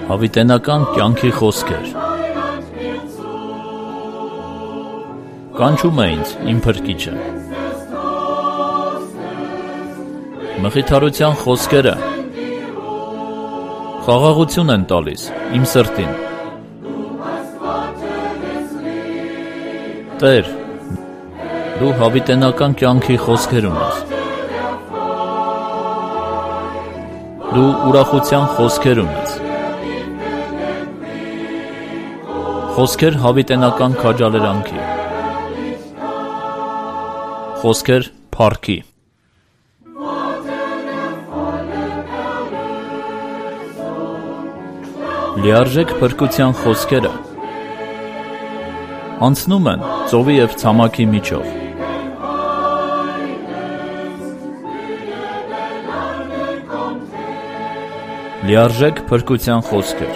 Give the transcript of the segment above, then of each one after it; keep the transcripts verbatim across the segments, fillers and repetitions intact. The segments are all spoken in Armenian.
Հավիտենական կյանքի խոսքեր։ Կանչում է ինձ իմ փրկիչը։ Մխիթարության խոսքերը խաղաղություն են տալիս իմ սրտին։ Տեր, դու հավիտենական կյանքի խոսքեր ունես։ Դու ուրախության խոսքեր ունես։ Խոսքեր հավիտենական քաջալերանքի, խոսքեր փառքի։ Լիարժեք փրկության խոսքերը անցնում են ծովի և ցամաքի միջով։ Լիարժեք փրկության խոսքեր։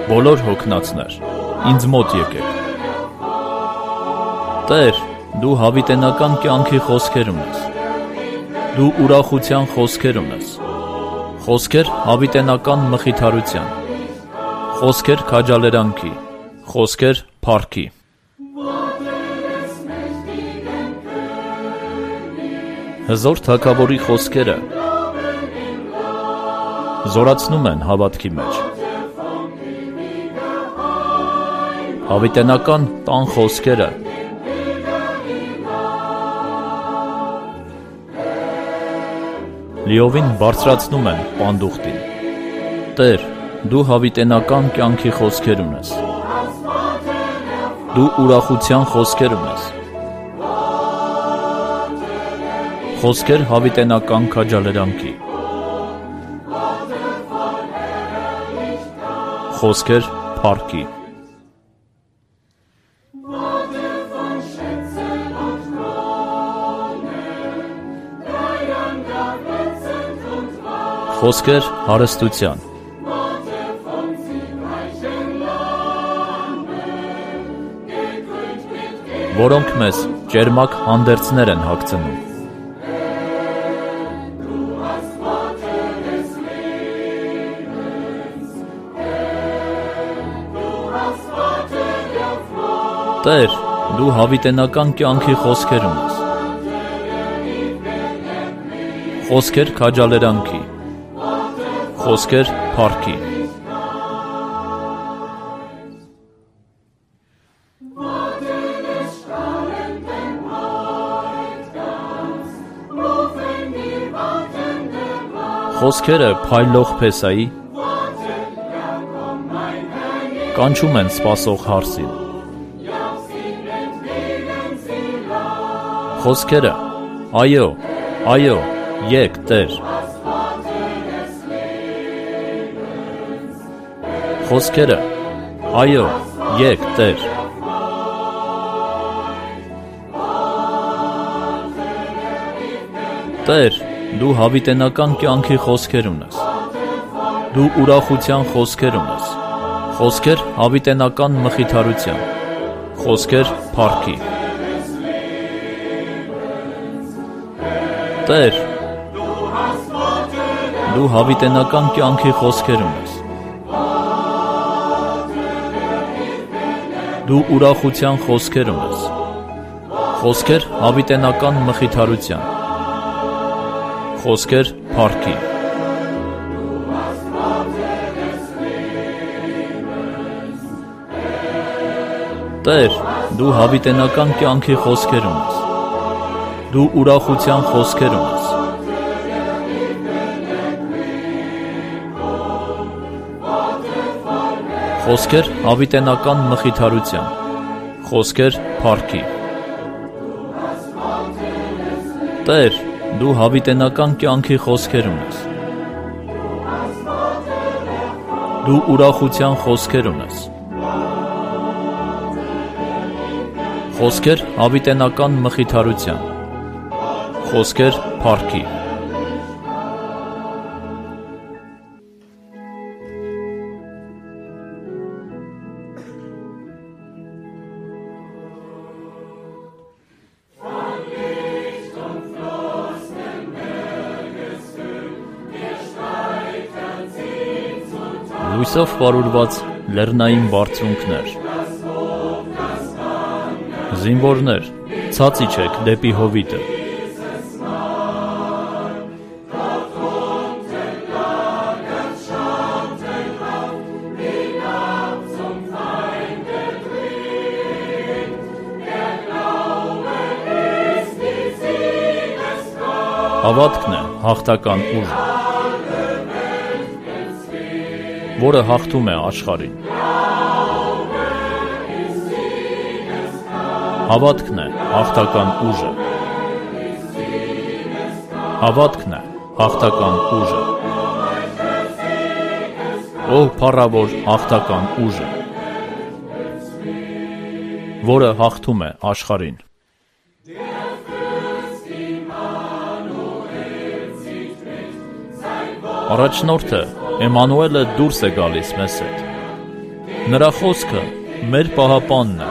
Բոլոր հոգնածներ, ինձ մոտ եկեք։ Տեր, դու հավիտենական կյանքի խոսքեր ունես։ Դու ուրախության խոսքեր ունես։ Խոսքեր հավիտենական մխիթարության, խոսքեր քաջալերանքի, խոսքեր փառքի։ Հզոր թագավորի խոսքերը զորացնում են հավատքի մեջ։ Հավիտենական տան խոսքերը լիովին բարձրացնում են պանդուխտին։ Տեր, դու հավիտենական կյանքի խոսքեր ունես։ Դու ուրախության խոսքեր ունես։ Խոսքեր հավիտենական քաջալերանքի, խոսքեր փառքի։ Խոսքեր հարստության, որոնք մեզ ճերմակ հանդերձներ են հագցնում։ Տեր, դու հավիտենական կյանքի խոսքեր ունես։ Խոսքեր քաջալերանքի, խոսքեր փառքի։ Խոսքերը փայլող փեսայի կանչում են սպասող հարսին։ Խոսքերը, այո, այո, եկ, Տեր։ Խոսքերը, այո, եկ, Տեր։ Տեր, դու հավիտենական կյանքի խոսքեր ունես։ Դու ուրախության խոսքեր ունես։ Խոսքեր հավիտենական մխիթարության, խոսքեր փառքի։ Տեր, դու հավիտենական կյանքի խոսքեր ունես։ Դու ուրախության խոսքեր ունես։ Խոսքեր հավիտենական մխիթարության, խոսքեր փառքի։ Տեր, դու հավիտենական կյանքի խոսքեր ունես։ Դու ուրախության խոսքեր ունես։ Խոսքեր հավիտենական մխիթարության, խոսքեր փառքի։ Տեր, դու հավիտենական կյանքի խոսքեր ունես։ Դու ուրախության խոսքեր ունես։ Խոսքեր հավիտենական մխիթարության, խոսքեր փառքի։ Լույսով պարուրված լեռնային բարձունքներ, զինվորներ, ցած իջեք դեպի հովիտը։ Հավատքն է հաղթական ուժը, որը հաղթում է աշխարհին։ Հավատքն է հաղթական ուժը, հավատքն է հաղթական ուժը, ով փառավոր հաղթական ուժը, որը հաղթում է աշխարհին։ Առաջնորդը Էմանուելը դուրս է գալիս մեզ հետ։ Նրա խոսքը մեր պահապանն է։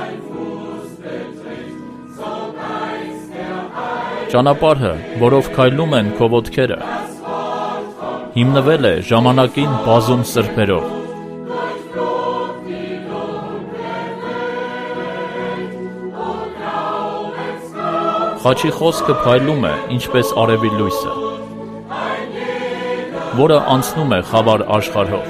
Ճանապարհը, որով քայլում են քո ոտքերը, հիմնվել է ժամանակին բազում սրբերով։ Խաչի խոսքը փայլում է, ինչպես արևի լույսը, որը անցնում է խավար աշխարհով։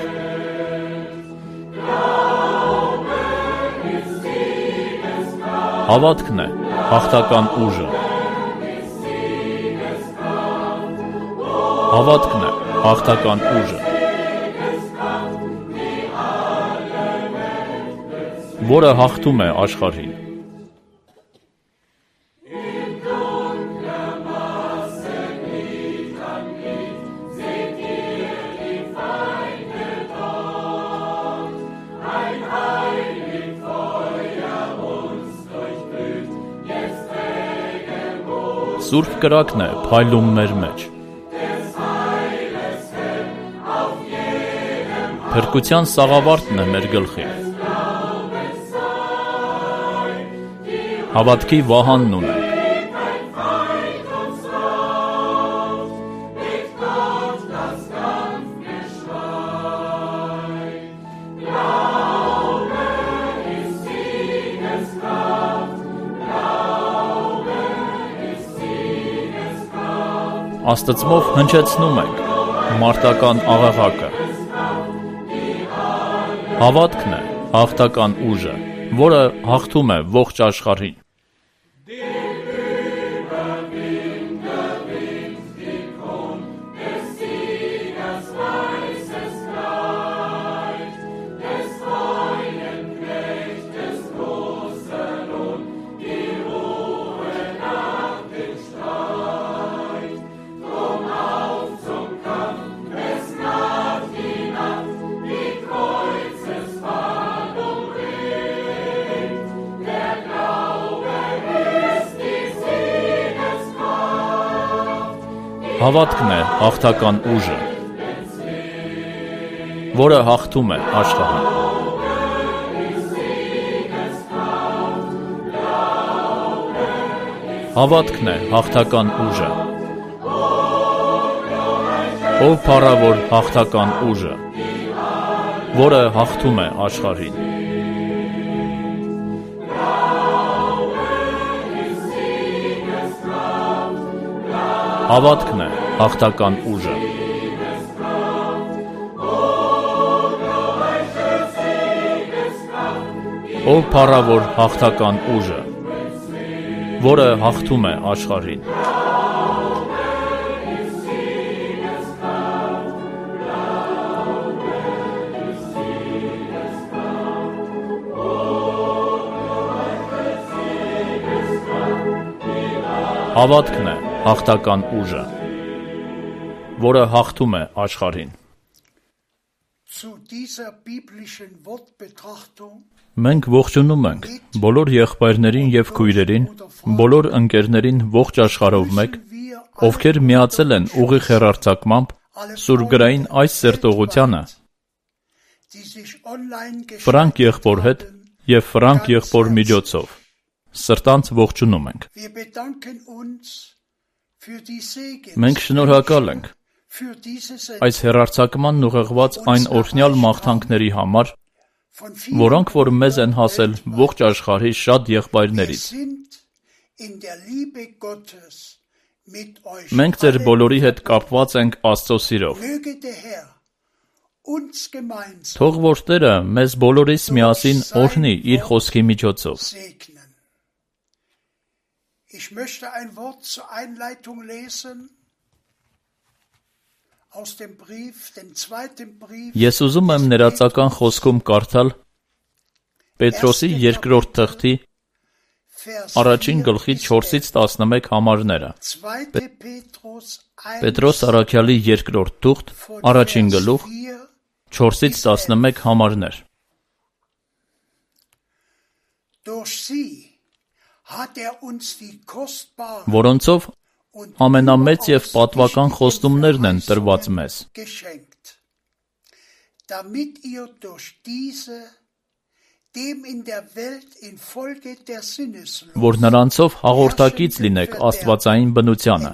Հավատքն է հաղթական ուժը, հավատքն է հաղթական ուժը, որը հաղթում է աշխարհին։ Սուրբ կրակն է փայլում մեր մեջ։ Փրկության սաղավարտն է մեր գլխի։ Հավատքի վահանն ունենք։ Աստծմով հնչեցնում ենք մարտական աղաղակը։ Հավատքն է հաղթական ուժը, որը հաղթում է ողջ աշխարհին։ Հավատքն է հաղթական ուժը, որը հաղթում է աշխարհին։ Հավատքն է հաղթական ուժը, ով փառավոր հաղթական ուժը, որը հաղթում է աշխարհին։ Հավատքն է հաղթական ուժը, ով փառավոր հաղթական ուժը, որը հաղթում է աշխարհին։ Հավատքն է հաղթական ուժը, որը հաղթում է աշխարհին։ Մենք ողջունում ենք բոլոր եղբայրներին և քույրերին, բոլոր ընկերներին ողջ աշխարհով մեկ, ովքեր միացել են ուղիղ հեռարձակմամբ սուրբգրային այս սերտողությանը Ֆրանկ եղբոր հետ և Ֆրանկ եղբոր միջոցով։ Սրտանց ողջունում ենք։ Մենք շնորհակալ ենք այս հեռարձակմանն ուղղված այն օրհնյալ մաղթանքների համար, որոնք որ մեզ են հասել ողջ աշխարհի շատ եղբայրներից։ Մենք ձեր բոլորի հետ կապված ենք Աստծո սիրով։ Թող որ Տերը մեզ բոլորիս միասին օրհնի իր խոսքի միջոցով։ Ich möchte ein Wort zur Einleitung lesen aus dem Brief, dem zweiten Brief. Ես ուզում եմ ներածական խոսքում կարդալ Պետրոսի երկրորդ թղթի առաջին գլխի չորսից տասնմեկ համարները։ Պետրոս առաքյալի երկրորդ թուղթ, առաջին գլուխ, չորսից տասնմեկ համարներ։ Որոնցով ամենամեծ և պատվական խոստումներն են տրված մեզ, որ նրանցով հաղորդակից լինեք աստվածային բնությանը,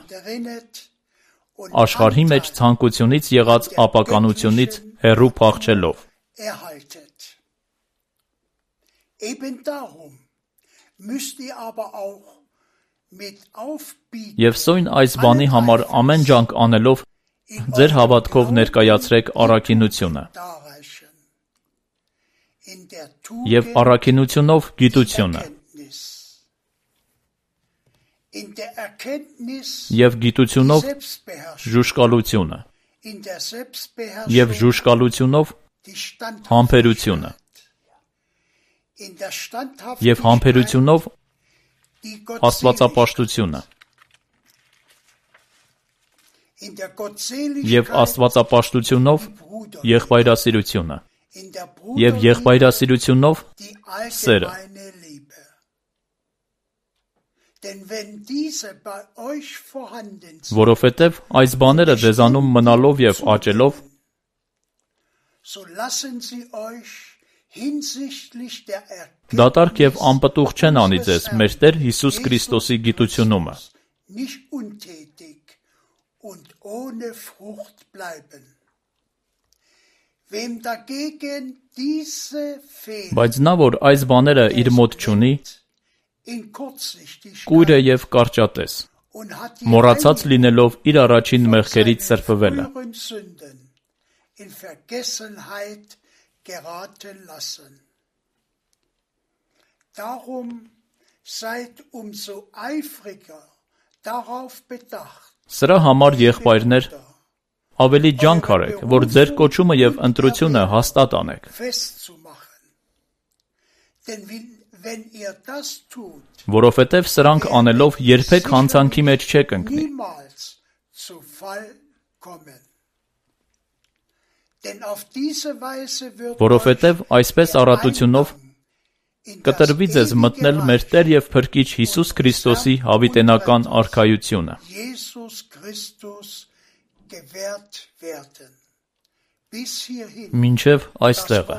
աշխարհի մեջ ցանկությունից եղած ապականությունից հեռու փախչելով։ Եվ սույն այս բանի համար ամեն ջանք անելով ձեր հավատքով ներկայացրեք առաքինությունը, և առաքինությունով գիտությունը, և գիտությունով ժուշկալությունը, և ժուշկալությունով համբերությունը, և համբերությունով աստվածապաշտությունը, և աստվածապաշտությունով եղբայրասիրությունը, և եղբայրասիրությունով սերը։ Որովհետև այս բաները ձեզանում մնալով և աճելով, դատարկ և անպտուղ չեն անի ձեզ մեր Տեր Հիսուս Քրիստոսի գիտությունումը։ Բայց նա, որ այս բաները իր մոտ չունի, կույր է և կարճատես, մոռացած լինելով իր առաջին մեղքերից սրբվելը։ Սրա համար, եղբայրներ, ավելի ջանք արեք, որ ձեր կոչումը և ընտրությունը հաստատ անեք։ Որովհետև սրանք անելով երբեք հանցանքի մեջ չեք ընկնի։ Որովհետև այսպես առատությունով կտրվի ձեզ մտնել մեր Տեր և Փրկիչ Հիսուս Քրիստոսի հավիտենական արքայությունը։ Մինչև այստեղը։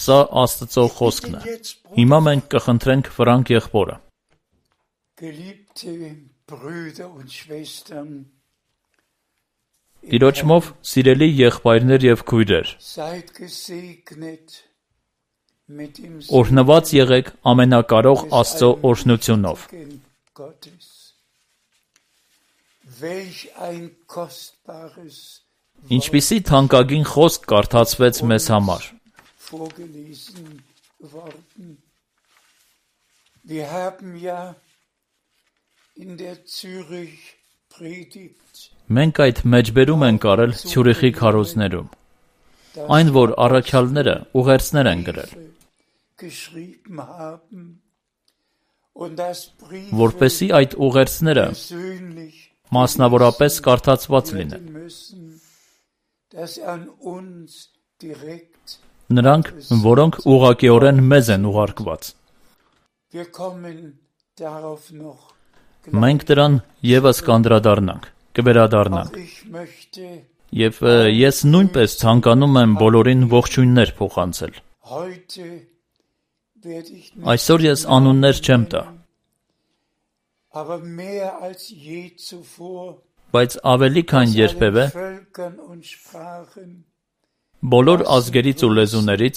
Սա Աստծո խոսքն է։ Հիմա մենք կխնդրենք Ֆրանկ եղբորը։ Տիրոջմով սիրելի եղբայրներ և քույրեր, օրհնված եղեք ամենակարող Աստծո օրհնությունով։ Ինչպիսի թանկագին խոսք կարդացվեց մեզ համար։ Մենք այդ մեջբերում ենք արել Ցյուրիխի քարոզներում, այն, որ առաքյալները ուղերձներ են գրել, որպեսզի այդ ուղերձները մասնավորապես կարդացված լինեն։ Նրանք, որոնք ուղղակիորեն մեզ են ուղարկված։ Մենք դրան ևս կանդրադառնանք, կվերադառնանք։ Եվ ես նույնպես ցանկանում եմ բոլորին ողջույններ փոխանցել։ Այսօր ես անուններ չեմ տա, Բայց ավելի քան երբևէ Völkern und Sprachen բոլոր ազգերից ու լեզուներից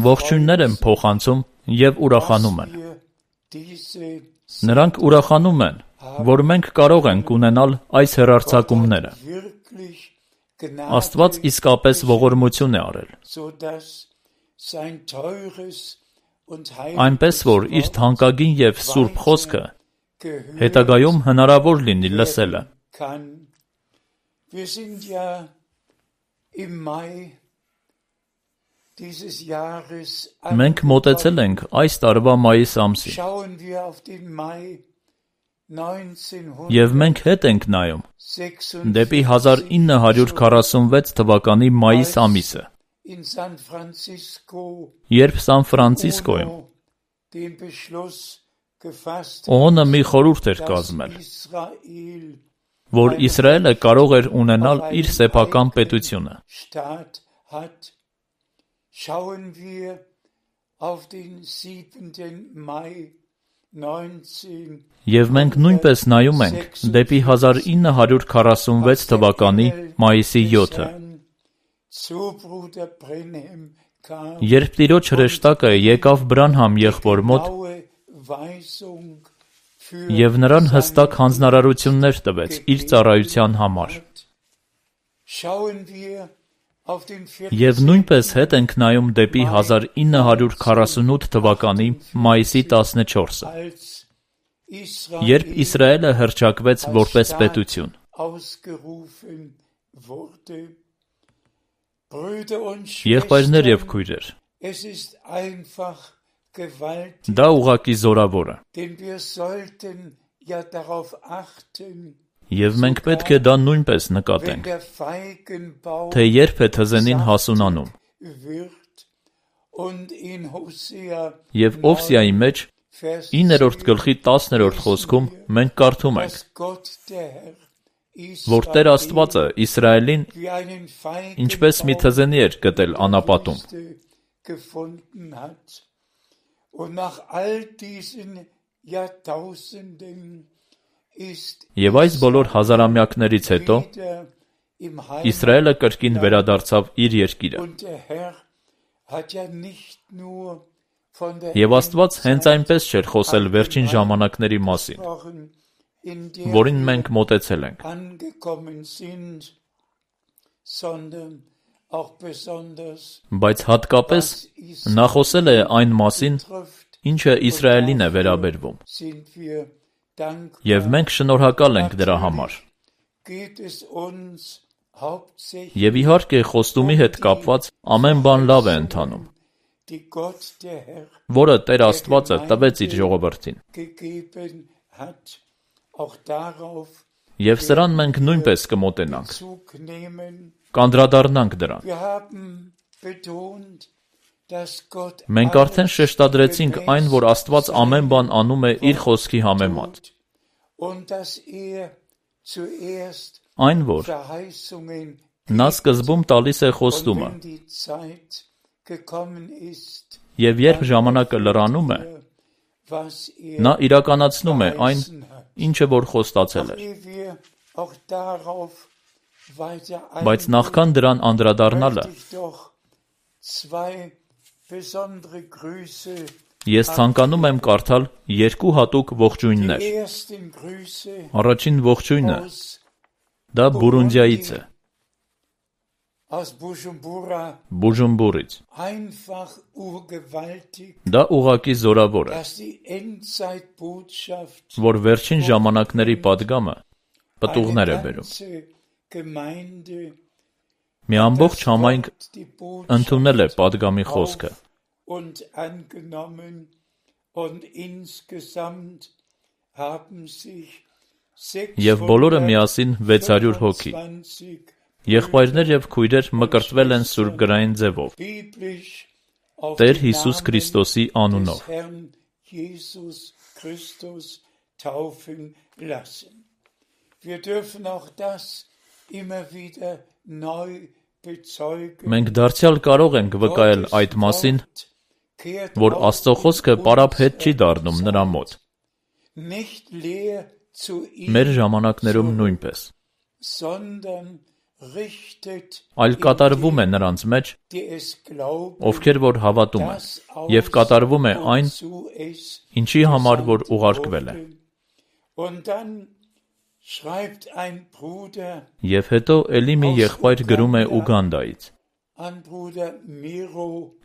ողջույններ են փոխանցում եւ ուրախանում են։ wir diese Նրանք ուրախանում են, որ մենք կարող ենք ունենալ այս հեռարձակումները։ wirklich Աստված Gnade, իսկապես ողորմություն է արել, sodass sein teures und այնպես որ իր heiliges թանկագին եւ սուրբ խոսքը gehört հետագայում հնարավոր լինի լսելը։ kann. Wir sind ja im Mai dieses Jahres Մենք մոտեցել ենք այս տարվա մայիս ամսին, Schauen wir auf den Mai եւ մենք հետ ենք նայում neunzehnhundertsechsundvierzig դեպի հազար ինը հարյուր քառասունվեց թվականի մայիս ամիսը, in San Francisco երբ Սան Ֆրանցիսկոյում UNO den Beschluss gefasst ՕՕՆ-ը մի խորհուրդ էր dass կազմել, Israel որ Իսրայելը կարող էր ունենալ իր սեփական պետությունը։ Staat hat. Schauen wir auf den siebten Mai neunzehn Եվ մենք նույնպես նայում ենք դեպի հազար ինը հարյուր քառասունվեց թվականի մայիսի յոթը, zu Bruder Brenhem kam երբ Տիրոջ հրեշտակը եկավ Բրանհամ եղբոր մոտ genaue Weisung für եւ նրան հստակ հանձնարարություններ տվեց իր ծառայության համար։ Schauen wir auf den Եվ նույնպես հետ ենք նայում դեպի հազար ինը հարյուր քառասունութ թվականի մայիսի տասնչորսը, als երբ Իսրայելը հռչակվեց որպես պետություն։ ausgerufen wurde. Brüder und Եղբայրներ եւ Schwestern, քույրեր, es ist einfach gewaltig, դա ուղղակի զորավոր է, denn wir sollten ja darauf achten, եւ մենք պետք է դա նույնպես wenn նկատենք, der Feigenbaum թե երբ է թզենին հասունանում։ wird und in Hosea Եվ Օվսիայի մեջ Vers իններորդ գլխի տասներորդ խոսքում մենք կարդում ենք, dass Gott der Herr որ Տեր Աստվածը Իսրայելին wie einen ինչպես մի Feigenbaum թզենի էր գտել անապատում, gefunden hat. Und nach all diesen Jahrtausenden ist եւ այս բոլոր հազարամյակներից հետո wieder im Իսրայելը կրկին վերադարձավ իր երկիրը։ Und der Herr hat ja nicht nur von der Եվ Աստված հենց այնպես չէր խոսել վերջին ժամանակների մասին, gesprochen, in der որին մենք մոտեցել ենք, angekommen sind, sondern auch besonders բայց հատկապես նա խոսել է այն մասին, trifft, ինչը Իսրայելին է վերաբերվում, sind wir dankbar. եւ մենք շնորհակալ ենք դրա համար։ Geht es uns hauptsächlich Եվ իհարկե խոստումի հետ կապված ամեն բան լավ է ընթանում, die Gott der Herr որը Տեր Աստվածը տվեց իր ժողովրդին, gegeben hat, auch darauf եւ սրան մենք նույնպես կմոտենանք, Bezug nehmen. կանդրադառնանք դրան։ Wir haben betont, dass Gott Մենք արդեն շեշտադրեցինք այն, որ Աստված ամեն բան անում է իր խոսքի համեմատ, tut und dass er zuerst այն, որ Verheißungen նա սկզբում տալիս է und խոստումը, wenn die Zeit gekommen ist, եւ երբ ժամանակը լրանում է, was er նա իրականացնում է այն, verheißen hat. ինչը որ խոստացել էր։ Ehe wir auch darauf weiter Բայց նախքան դրան անդրադառնալը, möchte ich doch zwei besondere Grüße, ես ցանկանում եմ կարդալ երկու հատուկ ողջույններ։ die ersten Grüße Առաջին ողջույնը aus, դա Բուրունդիայից է, aus Bujumbura, Բուժումբուրից։ einfach urgewaltig, Դա ուղղակի զորավոր է, dass die Endzeitbotschaft որ վերջին ժամանակների падգամը պտուղներ է eine բերում։ ganze Gemeinde Մի ամբողջ համայնք Gott die ընդունել է Botschaft падգամի խոսքը und angenommen und insgesamt haben sich եւ բոլորը միասին վեց հարյուր հոգի, sechshundertfünfundzwanzig եղբայրներ եւ քույրեր մկրտվել են սուրբգրային ձևով biblisch auf Տեր den Հիսուս Namen Քրիստոսի des անունով։ Herrn Jesus Christus taufen lassen. Wir dürfen auch das immer wieder neu bezeugen. Մենք դարձյալ կարող ենք վկայել այդ մասին, kehrt որ auch Աստծո in խոսքը պարապ հետ unserer չի դառնում նրա մոտ, nicht leer zu ihm մեր ժամանակներում նույնպես։ այլ կատարվում է նրանց մեջ, ովքեր որ հավատում են, և կատարվում է այն, ինչի համար որ ուղարկվել է։ Եվ հետո էլի մի եղբայր գրում է Ուգանդայից։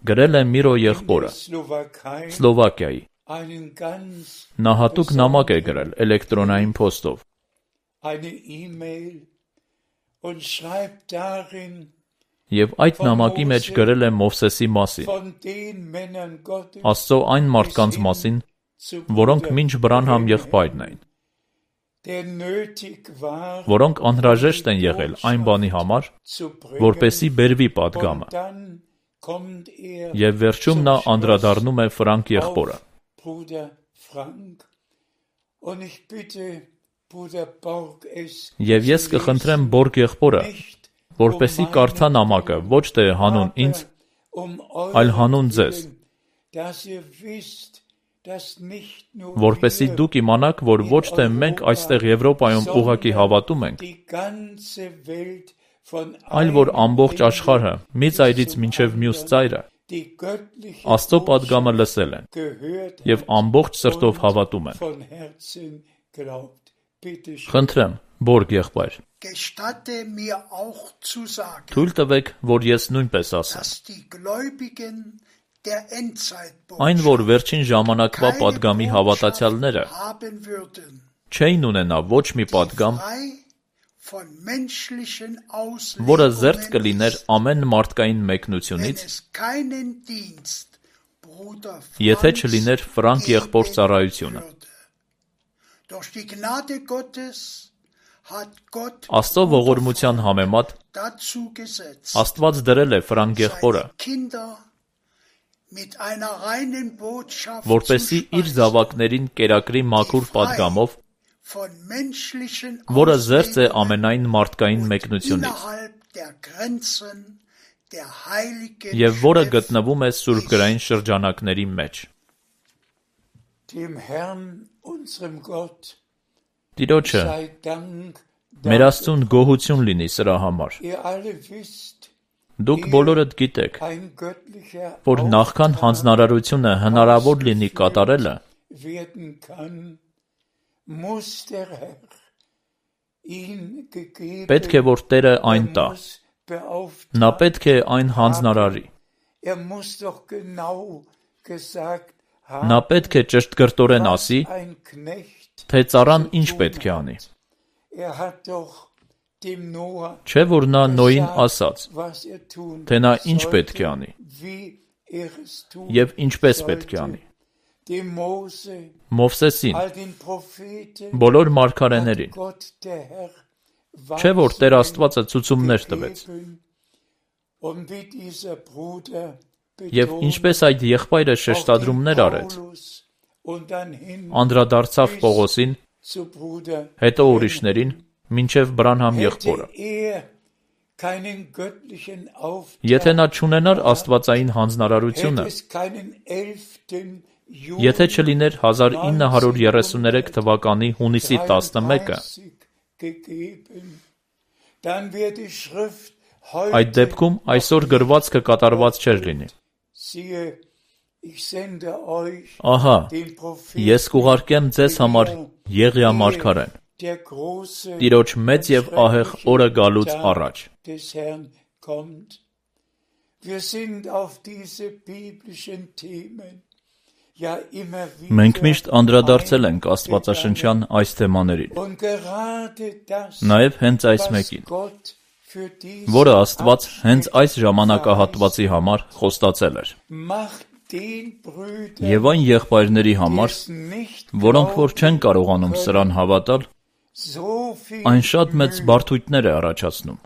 Գրել է Միրո եղբորը, Սլովակիայի։ Նա հատուկ նամակ է գրել էլեկտրոնային փոստով։ Եվ այդ նամակի մեջ գրել է Մովսեսի մասին, Աստծո այն մարդկանց մասին, որոնք մինչ Բրանհամ եղբայրն էին, որոնք անհրաժեշտ են եղել այն բանի համար, որպեսզի բերվի պատգամը։ Եվ վերջում նա անդրադառնում է Ֆրանկ եղբորը։ Եվ ես կխնդրեմ Բորգ եղբորը, որպեսզի կարդա նամակը ոչ թե հանուն ինձ, այլ հանուն ձեզ, որպեսզի դուք իմանաք, որ ոչ թե մենք այստեղ Եվրոպայում ուղղակի հավատում ենք, այլ որ ամբողջ աշխարհը, մի ծայրից մինչև մյուս ծայրը, Աստծո պատգամը լսել են և ամբողջ սրտով հավատում են։ Խնդրեմ, Բորգ եղբայր, թույլ տվեք, որ ես նույնպես ասեմ։ Այն, որ վերջին ժամանակվա պատգամի հավատացյալները չէին ունենա ոչ մի պատգամ, որը զերծ կլիներ ամեն մարդկային մեկնությունից, եթե չլիներ Ֆրանկ եղբոր ծառայությունը։ Աստծո ողորմության համեմատ Աստված դրել է Ֆրանկ եղբորը, որպեսզի իր զավակներին կերակրի մաքուր պատգամով, որը զերծ է ամենայն մարդկային մեկնությունից, և որը գտնվում է սուրբգրային շրջանակների մեջ։ Տիրոջը, մեր Աստծուն գոհություն լինի սրա համար։ Դուք բոլորդ գիտեք, որ նախքան հանձնարարությունը հնարավոր լինի կատարելը, պետք է որ Տերը այն տա, նա պետք է այն հանձնարարի, նա պետք է ճշտկրտորեն ասի, թե ծառան ինչ պետք է անի։ Չէ՞ որ նա Նոյին ասաց, թե նա ինչ պետք է անի, և ինչպես պետք է անի։ Մովսեսին, բոլոր մարգարեներին, չէ՞ որ Տեր Աստվածը ցուցումներ տվեց։ Եվ ինչպես այդ եղբայրը շեշտադրումներ արեց, անդրադարձավ Պողոսին, հետո ուրիշներին, մինչև Բրանհամ եղբորը։ Եթե նա չունենար աստվածային հանձնարարությունը, եթե չլիներ հազար ինը հարյուր երեսուններեք թվականի հունիսի տասնմեկը, այդ դեպքում այսօր գրվածքը կատարված չէր լինի։ Ահա, ես կուղարկեմ ձեզ համար Եղիա մարգարեն, Տիրոջ մեծ և ահեղ օրը գալուց առաջ։ Մենք միշտ անդրադարձել ենք աստվածաշնչյան այս թեմաներին, նաև հենց այս մեկին, որը Աստված հենց այս ժամանակահատվածի համար խոստացել էր։ Եվ այն եղբայրների համար, որոնք որ չեն կարողանում սրան հավատալ, այն շատ մեծ բարդույթներ է առաջացնում,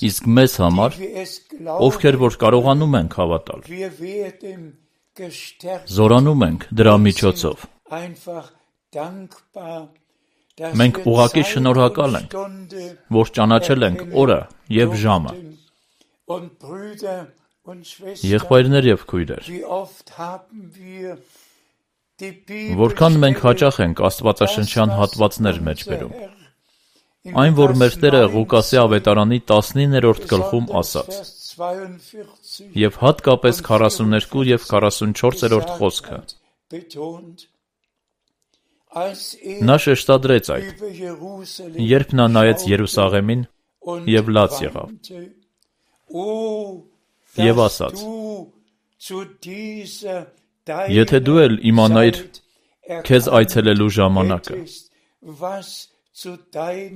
իսկ մեզ համար, ովքեր որ կարողանում ենք հավատալ, զորանում ենք դրա միջոցով։ Մենք ուղղակի շնորհակալ ենք, որ ճանաչել ենք օրը և ժամը։ Եղբայրներ և քույրեր, որքան մենք հաճախ ենք աստվածաշնչյան հատվածներ մեջ բերում, Այն, որ մեր Տերը Ղուկասի ավետարանի տասնիններորդ գլխում ասաց, եւ հատկապես քառասուններկու եւ քառասունչորսերորդ խոսքը, նա շեշտադրեց այդ, երբ նա նայեց Երուսաղեմին եւ լաց եղավ, եւ ասաց. եթե դու էլ իմանայիր քեզ այցելելու ժամանակը,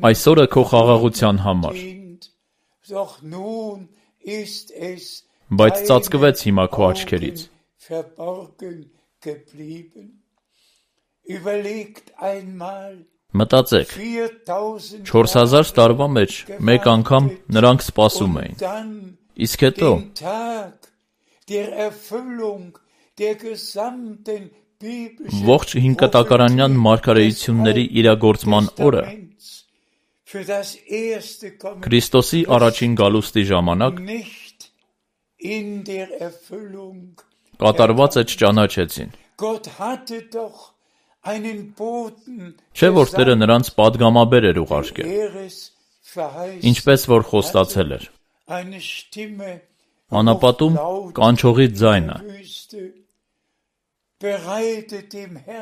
այսօրը քո խաղաղության համար, բայց ծածկվեց հիմա քո աչքերից. մտածեք, չորս հազար տարվա մեջ մեկ անգամ նրանք սպասում էին, իսկ հետո ողջ հինկտակարանյան մարգարեությունների իրագործման օրը, Քրիստոսի առաջին գալուստի ժամանակ, կատարվածը չճանաչեցին։ Չէ՞ որ Տերը նրանց պատգամաբեր էր ուղարկել, ինչպես որ խոստացել էր։ Անապատում կանչողի ձայնը.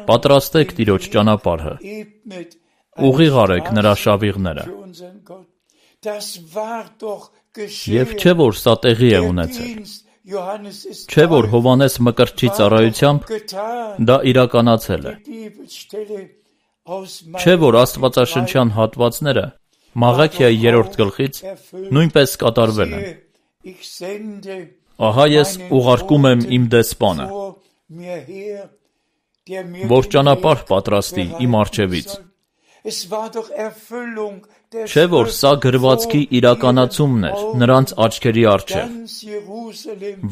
պատրաստեք Տիրոջ ճանապարհը, ուղիղ արեք նրա շավիղները։ Եվ չէ որ սա տեղի է ունեցել, չէ որ Հովհաննես Մկրտչի ծառայությամբ դա իրականացել է, չէ որ աստվածաշնչյան հատվածները Մաղաքիայի երրորդ գլխից նույնպես կատարվել են։ Ահա ես ուղարկում եմ իմ դեսպանը, որ ճանապարհ պատրաստի իմ առջևից։ Չէ որ սա գրվածքի իրականացումն էր նրանց աչքերի առջև։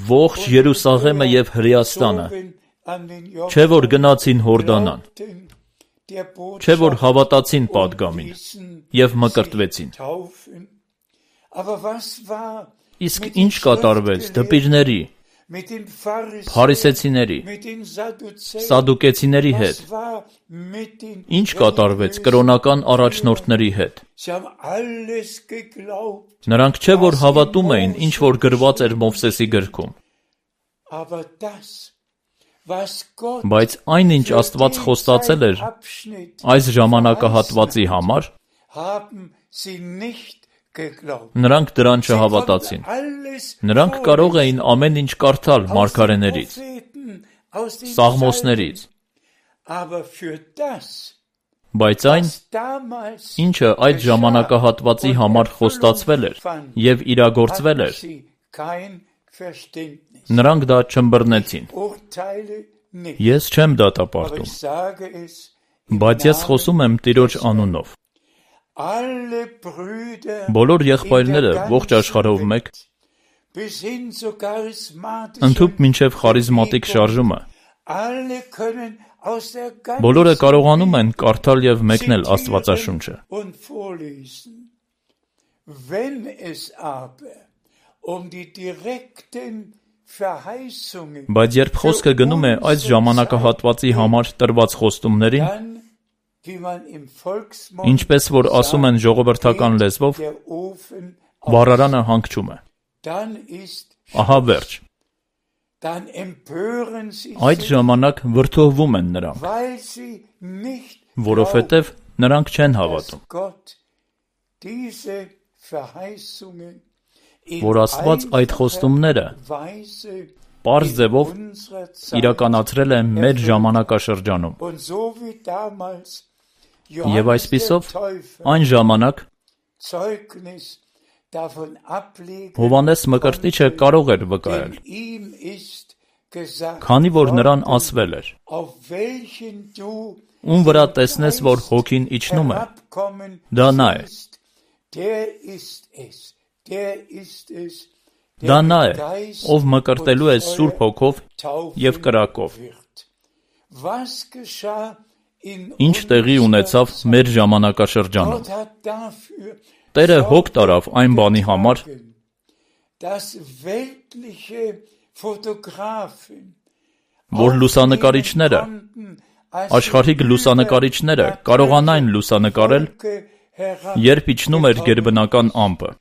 Ողջ Երուսաղեմը եւ Հրեաստանը, չէ որ գնացին Հորդանան, չէ որ հավատացին պատգամին եւ մկրտվեցին։ Իսկ ինչ կատարվեց դպիրների, փարիսեցիների, սադուկեցիների հետ, ինչ կատարվեց կրոնական առաջնորդների հետ։ Նրանք չէ որ հավատում էին, ինչ որ գրված էր Մովսեսի գրքում, բայց այնինչ Աստված խոստացել էր այս ժամանակահատվածի համար, նրանք դրան չհավատացին։ Նրանք կարող էին ամեն ինչ կարդալ մարգարեներից, Սաղմոսներից, բայց այն, ինչը այդ ժամանակահատվածի համար խոստացվել էր եւ իրագործվել էր, նրանք դա չըմբռնեցին։ Ես չեմ դատապարտում, բայց ես խոսում եմ Տիրոջ անունով։ Բոլոր եղբայրները ողջ աշխարհով մեկ, ընդհուպ մինչև խարիզմատիկ շարժումը, բոլորը կարողանում են կարդալ եւ մեկնել Աստվածաշունչը։ Բայց երբ խոսքը գնում է այս ժամանակահատվածի համար տրված խոստումներին, ինչպես որ ասում են ժողովրդական լեզվով, վառարանը հանգչում է։ Ահա վերջ։ Այդ ժամանակ վրդովվում են նրանք, որովհետև նրանք չեն հավատում, որ Աստված այդ խոստումները պարզ ձևով իրականացրել է մեր ժամանակաշրջանում։ Եվ այսպիսով, այն ժամանակ Հովհաննես Մկրտիչը կարող էր վկայել, քանի որ նրան ասվել էր. ում վրա տեսնես, որ հոգին իջնում է, դա նա է։ Դա նա է, ով մկրտելու է Սուրբ Հոգով եւ կրակով։ Ինչ տեղի ունեցավ մեր ժամանակաշրջանում։ Տերը հոգ տարավ այն բանի համար, որ լուսանկարիչները, աշխարհիկ լուսանկարիչները կարողանային լուսանկարել երբ իջնում էր գերբնական ամպը։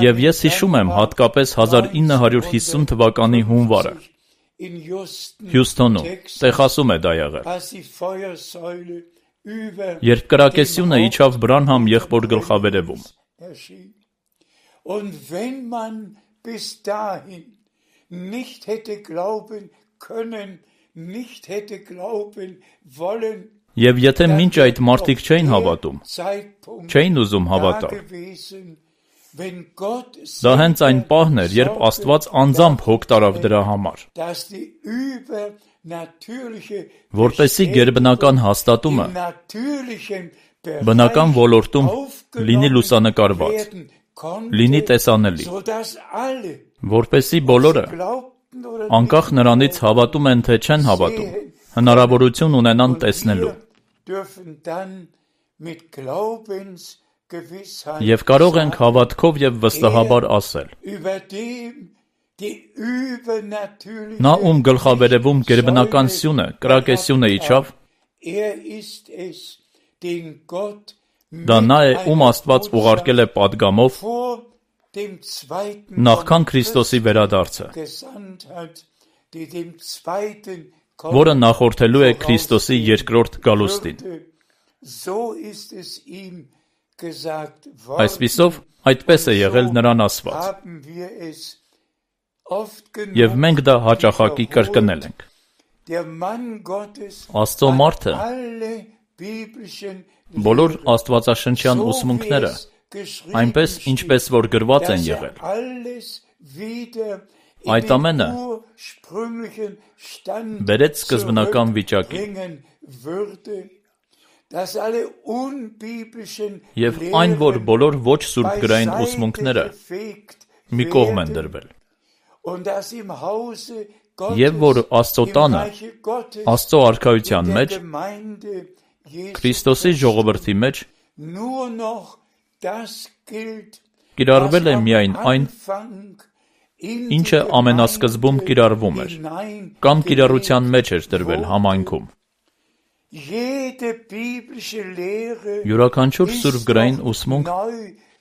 Եվ ես հիշում եմ հատկապես հազար ինը հարյուր հիսուն թվականի հունվարը Հյուսթոնում, Տեխասում է դա եղել, երբ կրակեսյունը իջավ Բրանհամ եղբոր գլխավերևում։ Եվ եթե մինչ այդ մարդիկ չէին հավատում, չէին ուզում հավատալ, դա հենց այն պահն էր, երբ Աստված անձամբ հոգ տարավ դրա համար, որպեսզի գերբնական հաստատումը բնական ոլորտում լինի լուսանկարված, լինի տեսանելի, որպեսզի բոլորը, անկախ նրանից հավատում են թե չեն հավատում, հնարավորություն ունենան տեսնելու և կարող ենք հավատքով և վստահաբար ասել. նա ում գլխավերևում գերբնական սյունը, կրակեսյունը իջավ, դա նա է, ում Աստված ուղարկել է պատգամով նախքան Քրիստոսի վերադարձը, որը նախորդելու է Քրիստոսի երկրորդ գալուստին։ Այսպիսով, այդպես է եղել նրան ասված։ Եվ մենք դա հաճախակի կրկնել ենք։ Աստծո մարդը բոլոր աստվածաշնչյան ուսմունքները այնպես, ինչպես որ գրված են եղել, այդ ամենը բերեց սկզբնական վիճակին։ Եվ այն, որ բոլոր ոչ սուրբգրային ուսմունքները մի կողմ են դրվել։ Եվ որ Աստծո տանը, Աստծո արքայության մեջ, Քրիստոսի ժողովրդի մեջ կիրառվել է միայն այն, ինչը ամենասկզբում կիրառվում էր, կամ կիրառության մեջ էր դրվել համայնքում։ Յուրաքանչյուր սուրբգրային ուսմունք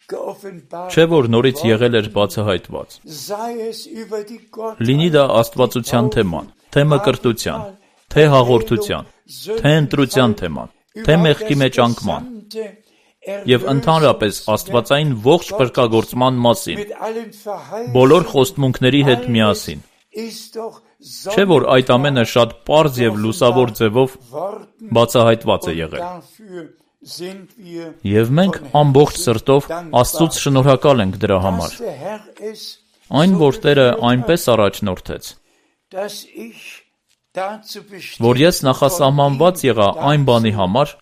չէ, որ նորից եղել էր բացահայտված։ Լինի դա աստվածության թեման, թե մկրտության, թե հաղորդության, թե ընտրության թեման, թե մեղքի մեջ անկման, և ընդհանրապես աստվածային ողջ փրկագործման մասին, բոլոր խոստմունքների հետ միասին։ Չէ, որ այդ ամենը շատ պարզ և լուսավոր ձևով բացահայտված է եղել։ Եվ մենք ամբողջ սրտով Աստծուց շնորհակալ ենք դրա համար։ Այն, որ Տերը այնպես առաջնորդեց, որ ես նախասահմանված եղա այն բանի համար,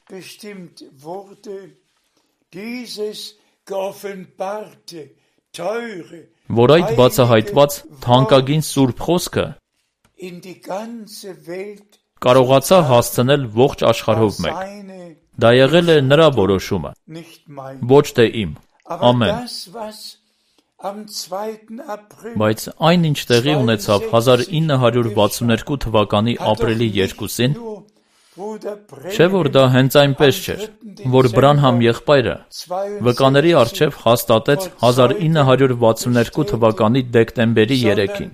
որ այդ բացահայտված թանկագին սուրբ խոսքը կարողացա հասցնել ողջ աշխարհով մեկ։ Դա եղել է նրա որոշումը, ոչ թե իմ։ Ամեն։ Բայց այն, ինչ տեղի ունեցավ հազար ինը հարյուր վաթսունութ թվականի ապրիլի երկուսին, չէ, որ դա հենց այնպես չէր, որ Բրանհամ եղբայրը վկաների առջև հաստատեց հազար ինը հարյուր վաթսունութ թվականի դեկտեմբերի երեքին։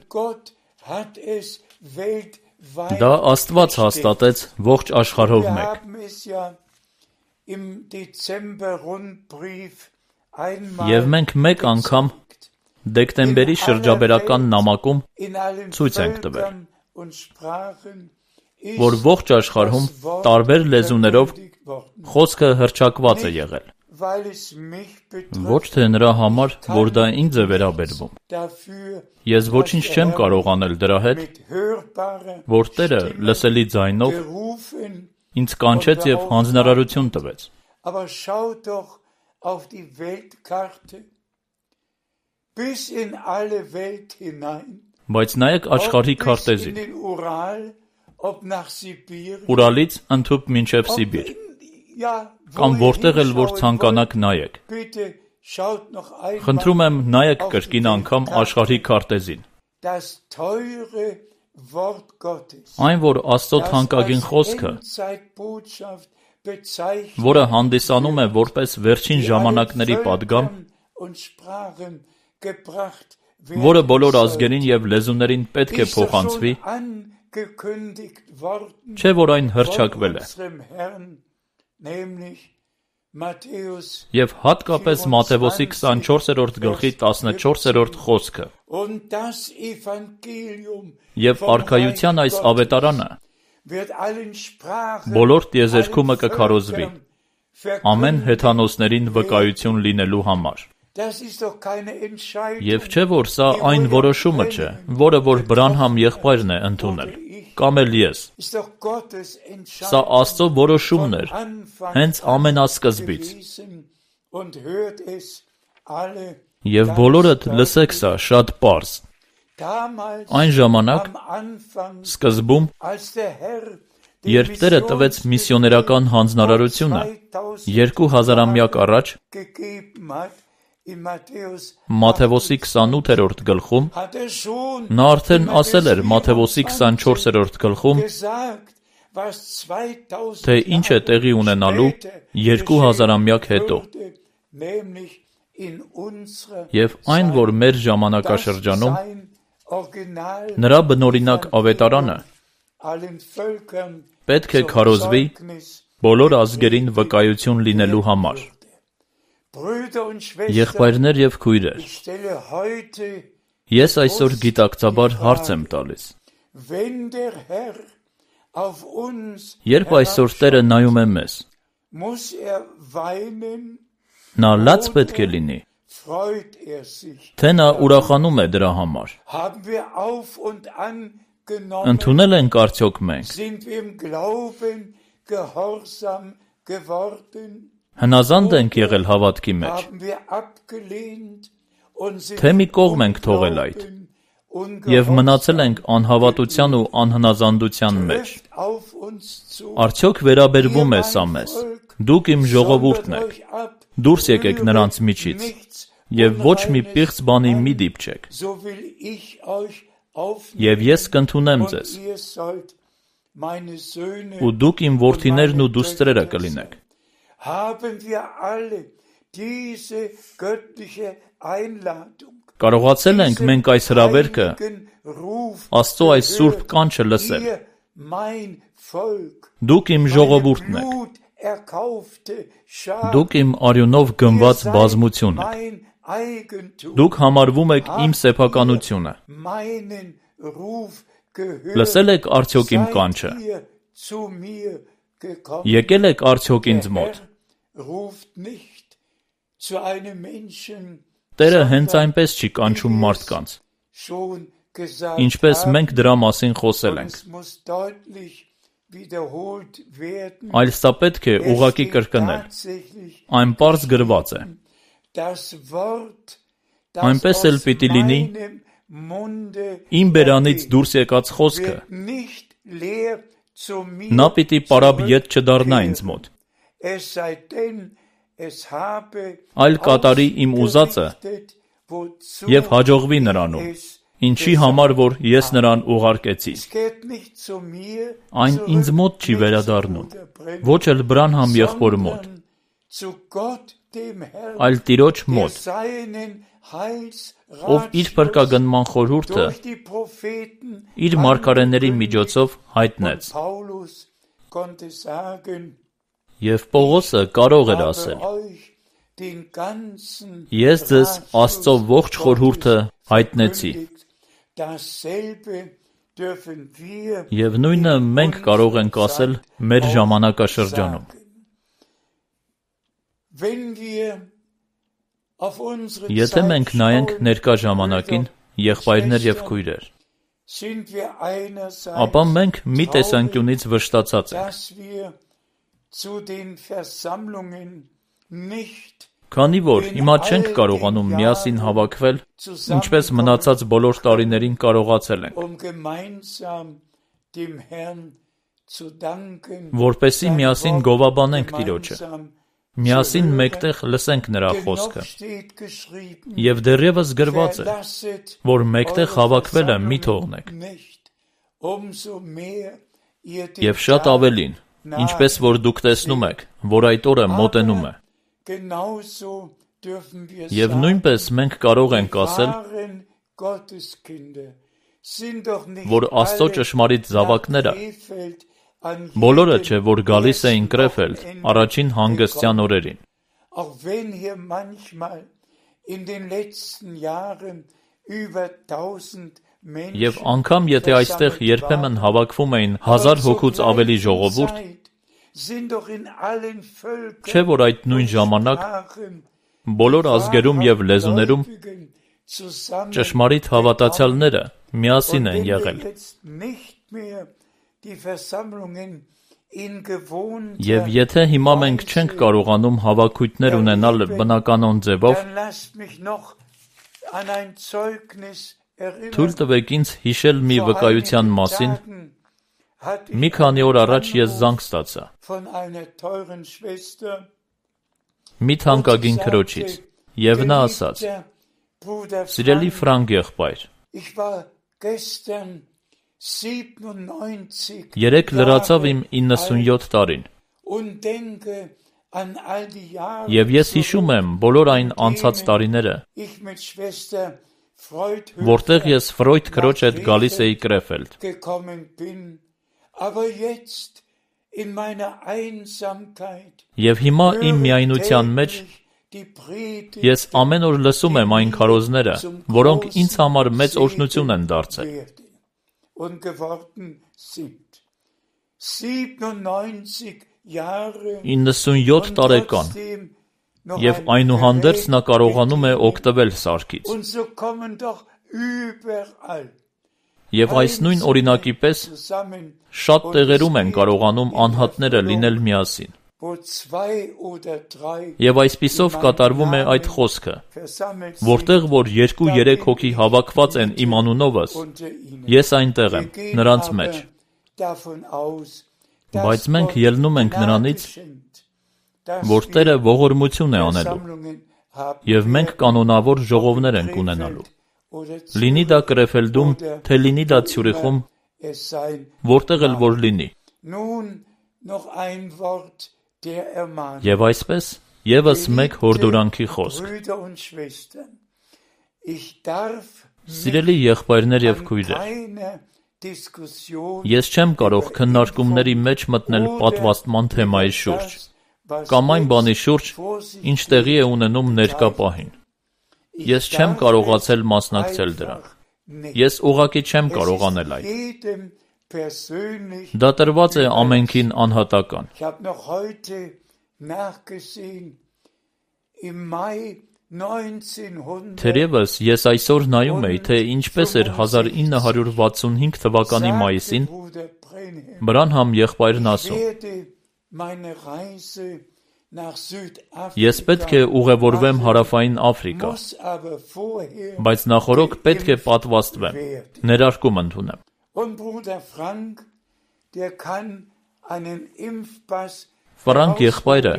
Դա Աստված հաստատեց ողջ աշխարհով մեկ։ Եվ մենք մեկ անգամ դեկտեմբերի շրջաբերական նամակում ցույց ենք տվել, որ ողջ աշխարհում տարբեր լեզուներով խոսքը հռչակված է եղել։ Ոչ թե նրա համար, որ դա ինձ է վերաբերվում։ Ես ոչինչ չեմ կարող անել դրա հետ, որ Տերը լսելի ձայնով ինձ կանչեց և հանձնարարություն տվեց։ Բայց նայեք աշխարհի քարտեզին, Ուրալից ընդհուպ մինչև Սիբիր, կամ որտեղ էլ որ ցանկանաք նայեք։ Խնդրում եմ նայեք կրկին անգամ աշխարհի քարտեզին։ Այն, որ Աստծո թանկագին խոսքը որը հանդիսանում է որպես վերջին ժամանակների պատգամ, որը բոլոր ազգերին և լեզուներին պետք է փոխանցվի, չէ՞ որ այն հռչակվել է։ Եվ հատկապես Մատթեոսի քսանչորսերորդ գլխի տասնչորսերորդ խոսքը։ Եվ արքայության այս ավետարանը բոլոր տիեզերքումը կքարոզվի, ամեն հեթանոսներին վկայություն լինելու համար։ Եվ չէ՞ որ սա այն որոշումը չէ, որը որ Բրանհամ եղբայրն է ընդունել, կամ էլ ես։ Սա Աստծո որոշումն էր, հենց ամենասկզբից։ Եվ բոլորդ լսեք սա շատ պարզ։ Այն ժամանակ, սկզբում, երբ Տերը տվեց միսիոներական հանձնարարությունը, երկու հազարամյակ առաջ, Մատթեոսի քսանութերորդ գլխում, նա արդեն ասել էր Մատթեոսի քսանչորսերորդ գլխում, թե ինչ է տեղի ունենալու երկու հազարամյակ հետո։ Եվ այն, որ մեր ժամանակաշրջանում նրա բնօրինակ ավետարանը պետք է քարոզվի բոլոր ազգերին վկայություն լինելու համար։ Եղբայրներ և քույրեր, ես այսօր գիտակցաբար հարց եմ տալիս. երբ այսօր Տերը նայում է մեզ, նա լաց պետք է լինի, թե նա ուրախանում է դրա համար։ Ընդունել ենք արդյոք մենք, հնազանդ ենք եղել հավատքի մեջ, թե մի կողմ ենք թողել այդ, և մնացել ենք անհավատության ու անհնազանդության մեջ։ Արդյոք վերաբերվում է սա մեզ, դուք իմ ժողովուրդն եք, դուրս եկեք նրանց միջից, և ոչ մի պիղծ բանի մի դիպչեք, և ես կընդունեմ ձեզ, ու դուք իմ որդիներն ու դուստրերը կլինեք։ Կարողացել ենք մենք այս հրավերքը, Աստծո այս սուրբ կանչը լսել։ Դուք իմ ժողովուրդն եք, դուք իմ արյունով գնված բազմություն եք, դուք համարվում եք իմ սեփականությունը։ Լսել եք արդյոք իմ կանչը, եկել եք արդյոք ինձ մոտ։ Տերը հենց այնպես չի կանչում մարդկանց, ինչպես մենք դրա մասին խոսել ենք, այլ սա պետք է ուղղակի կրկնել, այն պարզ գրված է։ Այնպես էլ պիտի լինի իմ բերանից դուրս եկած խոսքը, նա պիտի պարապ ետ չդառնա ինձ մոտ, այլ կատարի իմ ուզածը և հաջողվի նրանում, ինչի համար, որ ես նրան ուղարկեցի։ Այն ինձ մոտ չի վերադառնում, ոչ էլ Բրանհամ եղբոր մոտ, այլ Տիրոջ մոտ, ով իր փրկագնման խորհուրդը իր մարգարեների միջոցով հայտնեց։ Եվ Պողոսը կարող էր ասել. ես ձեզ Աստծո ողջ խորհուրդը հայտնեցի։ Եվ նույնը մենք կարող ենք ասել մեր ժամանակաշրջանում։ Եթե մենք նայենք ներկա ժամանակին, եղբայրներ և քույրեր, ապա մենք մի տեսանկյունից վշտացած ենք, քանի որ հիմա չենք կարողանում միասին հավաքվել, ինչպես մնացած բոլոր տարիներին կարողացել ենք, որպեսզի միասին գովաբանենք Տիրոջը, միասին մեկտեղ լսենք նրա խոսքը, և դեռևս գրված է, որ մեկտեղ հավաքվելը մի թողնեք, և շատ ավելին, ինչպես որ դուք տեսնում եք, որ այդ օրը մոտենում է։ Եվ նույնպես մենք կարող ենք ասել, որ Աստծո ճշմարիտ զավակները բոլորը չէ, որ գալիս էին Կրեֆելդ առաջին հանգստյան օրերին։ Եվ անգամ եթե այստեղ երբեմն հավաքվում էին հազար հոգուց ավելի ժողովուրդ, չէ որ այդ նույն ժամանակ բոլոր ազգերում և լեզուներում ճշմարիտ հավատացյալները միասին են եղել։ Եվ եթե հիմա մենք չենք կարողանում հավաքույթներ ունենալ բնականոն ձևով, թույլ տվեք ինձ հիշել մի վկայության մասին։ Մի քանի օր առաջ ես զանգ ստացա մի թանկագին քրոջից, և նա ասաց. «Սիրելի Ֆրանկ եղբայր, երեկ լրացավ իմ իննսունյոթ տարին, և ես հիշում եմ բոլոր այն անցած տարիները, որտեղ ես Ֆրոյդ քրոջ հետ գալիս էի Կրեֆելդ։ Եվ հիմա իմ միայնության մեջ ես ամեն օր լսում եմ այն քարոզները, որոնք ինձ համար մեծ օրհնություն են դարձել։ իննսունյոթ տարեկան, և այնուհանդերձ նա կարողանում է օգտվել սարքից։ Եվ այս նույն օրինակի պես շատ տեղերում են կարողանում անհատները լինել միասին։ Եվ այսպիսով կատարվում է այդ խոսքը, որտեղ որ երկու-երեք հոգի հավաքված են իմ անունովս, ես այնտեղ եմ, նրանց մեջ։ Բայց մենք ելնում ենք նրանից, որ Տերը ողորմություն է անելու, և մենք կանոնավոր ժողովներ ենք ունենալու։ Լինի դա Կրեֆելդում, թե լինի դա Ցյուրիխում, որտեղ էլ որ լինի։ Եվ այսպես, ևս մեկ հորդորանքի խոսք։ Սիրելի եղբայրներ և քույրեր, ես չեմ կարող քննարկումների մեջ մտնել պատվաստման թեմայի շուրջ, կամ այն բանի շուրջ, ինչ տեղի է ունենում ներկա պահին։ Ես չեմ կարողացել մասնակցել դրան։ Ես ուղղակի չեմ կարող անել այդ։ Դա տրված է ամենքին անհատական։ Թերևս ես այսօր նայում էի, թե ինչպես էր հազար ինը հարյուր վաթսունհինգ թվականի մայիսին Բրանհամ եղբայրն ասում. Ես պետք է ուղևորվեմ հարավային Աֆրիկա, բայց նախօրոք պետք է պատվաստվեմ, ներարկում ընդունեմ։ Ֆրանկ եղբայրը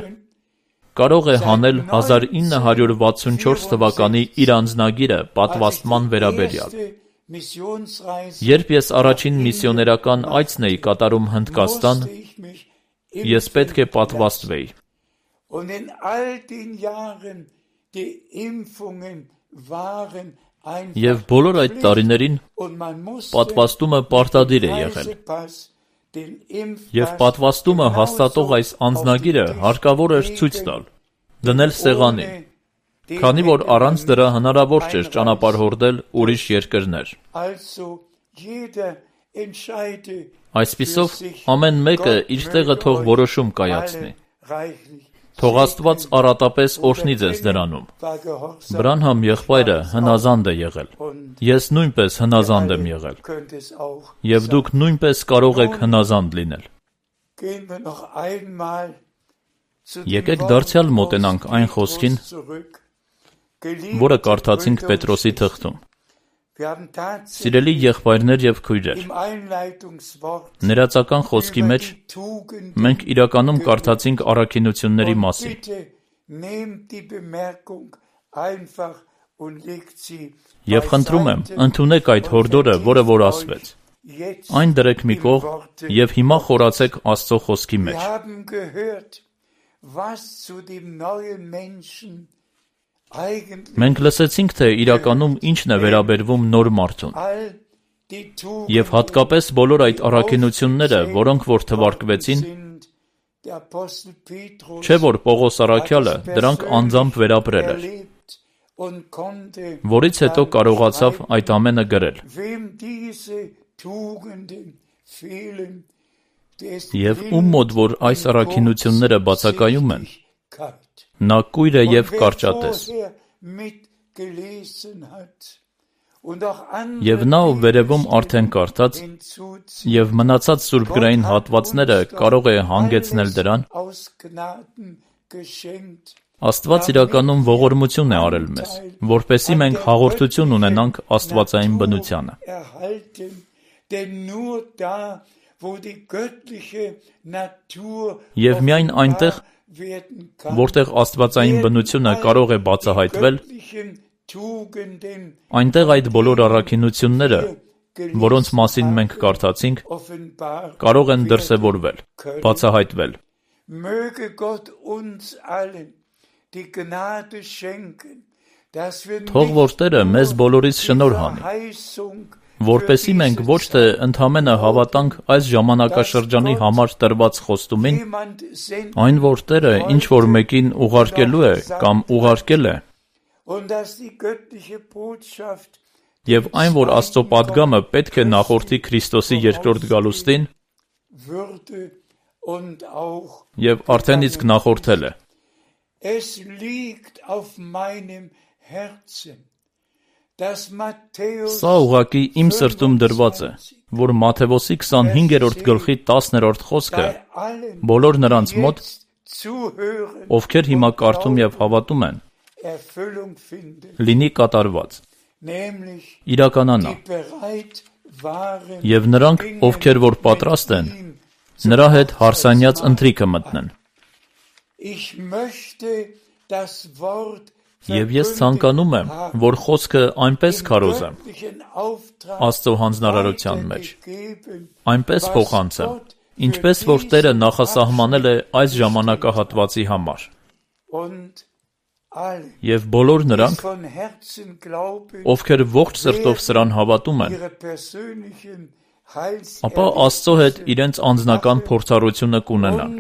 կարող է հանել հազար ինը հարյուր վաթսունչորս թվականի իր անձնագիրը պատվաստման վերաբերյալ։ Երբ ես առաջին միսիոներական այցն էի կատարում Հնդկաստան, ես պետք է պատվաստվեի։ Եվ բոլոր այդ տարիներին պատվաստումը պարտադիր է եղել։ Եվ պատվաստումը հաստատող այս անձնագիրը հարկավոր էր ցույց տալ, դնել սեղանին, քանի որ առանց դրա հնարավոր չէր ճանապարհորդել ուրիշ երկրներ։ Այսպիսով, ամեն մեկը իր տեղը թող որոշում կայացնի։ Թող Աստված առատապես օրհնի ձեզ դրանում։ Բրանհամ եղբայրը հնազանդ է եղել։ Ես նույնպես հնազանդ եմ եղել։ Եվ դուք նույնպես կարող եք հնազանդ լինել։ Եկեք դարձյալ մոտենանք այն խոսքին, որը կարդացինք Պետրոսի թղթում։ Սիրելի եղբայրներ և քույրեր, ներածական խոսքի մեջ մենք իրականում կարդացինք առաքինությունների մասին։ Եվ խնդրում եմ, ընդունեք այդ հորդորը, որը որ ասվեց։ Այն դրեք մի կողմ և հիմա խորացեք Աստծո խոսքի մեջ։ Մենք լսեցինք, թե իրականում ինչն է վերաբերվում նոր մարդուն։ Եվ հատկապես բոլոր այդ առաքինությունները, որոնք որ թվարկվեցին, չէ՞ որ Պողոս առաքյալը դրանք անձամբ վերապրել էր, որից հետո կարողացավ այդ ամենը գրել։ Եվ ում մոտ որ այս առաքինությունները բացակայում են, նա կույր է և կարճատես։ Եվ նա, ով վերևում արդեն կարդաց, և մնացած սուրբգրային հատվածները կարող է հանգեցնել դրան, Աստված իրականում ողորմություն է արել մեզ, որպեսզի մենք հաղորդություն ունենանք աստվածային բնությանը։ Եվ միայն այնտեղ, որտեղ աստվածային բնությունը կարող է բացահայտվել, այնտեղ այդ բոլոր առաքինությունները, որոնց մասին մենք կարդացինք, կարող են դրսևորվել, բացահայտվել։ Թող որ Տերը մեզ բոլորիս շնորհ հանի, որպեսզի մենք ոչ թե ընդամենը հավատանք այս ժամանակաշրջանի համար տրված խոստումին, այն որ Տերը ինչ-որ մեկին ուղարկելու է կամ ուղարկել է, և այն որ Աստծո պատգամը պետք է նախորդի Քրիստոսի երկրորդ գալուստին, և արդեն իսկ նախորդել է։ Սա ուղղակի իմ սրտում դրված է, որ Մատթեոսի քսանհինգերորդ գլխի տասներորդ խոսքը բոլոր նրանց մոտ, ովքեր հիմա կարդում և հավատում են, լինի կատարված, իրականանա, և նրանք, ովքեր որ պատրաստ են, նրա հետ հարսանյաց ընթրիքը մտնեն։ Եվ ես ցանկանում եմ, որ խոսքը այնպես քարոզեմ Աստծո հանձնարարության մեջ, այնպես փոխանցեմ, ինչպես որ Տերը նախասահմանել է այս ժամանակահատվածի համար։ Եվ բոլոր նրանք, ովքեր ողջ սրտով սրան հավատում են, ապա Աստծո հետ իրենց անձնական փորձառությունը կունենան,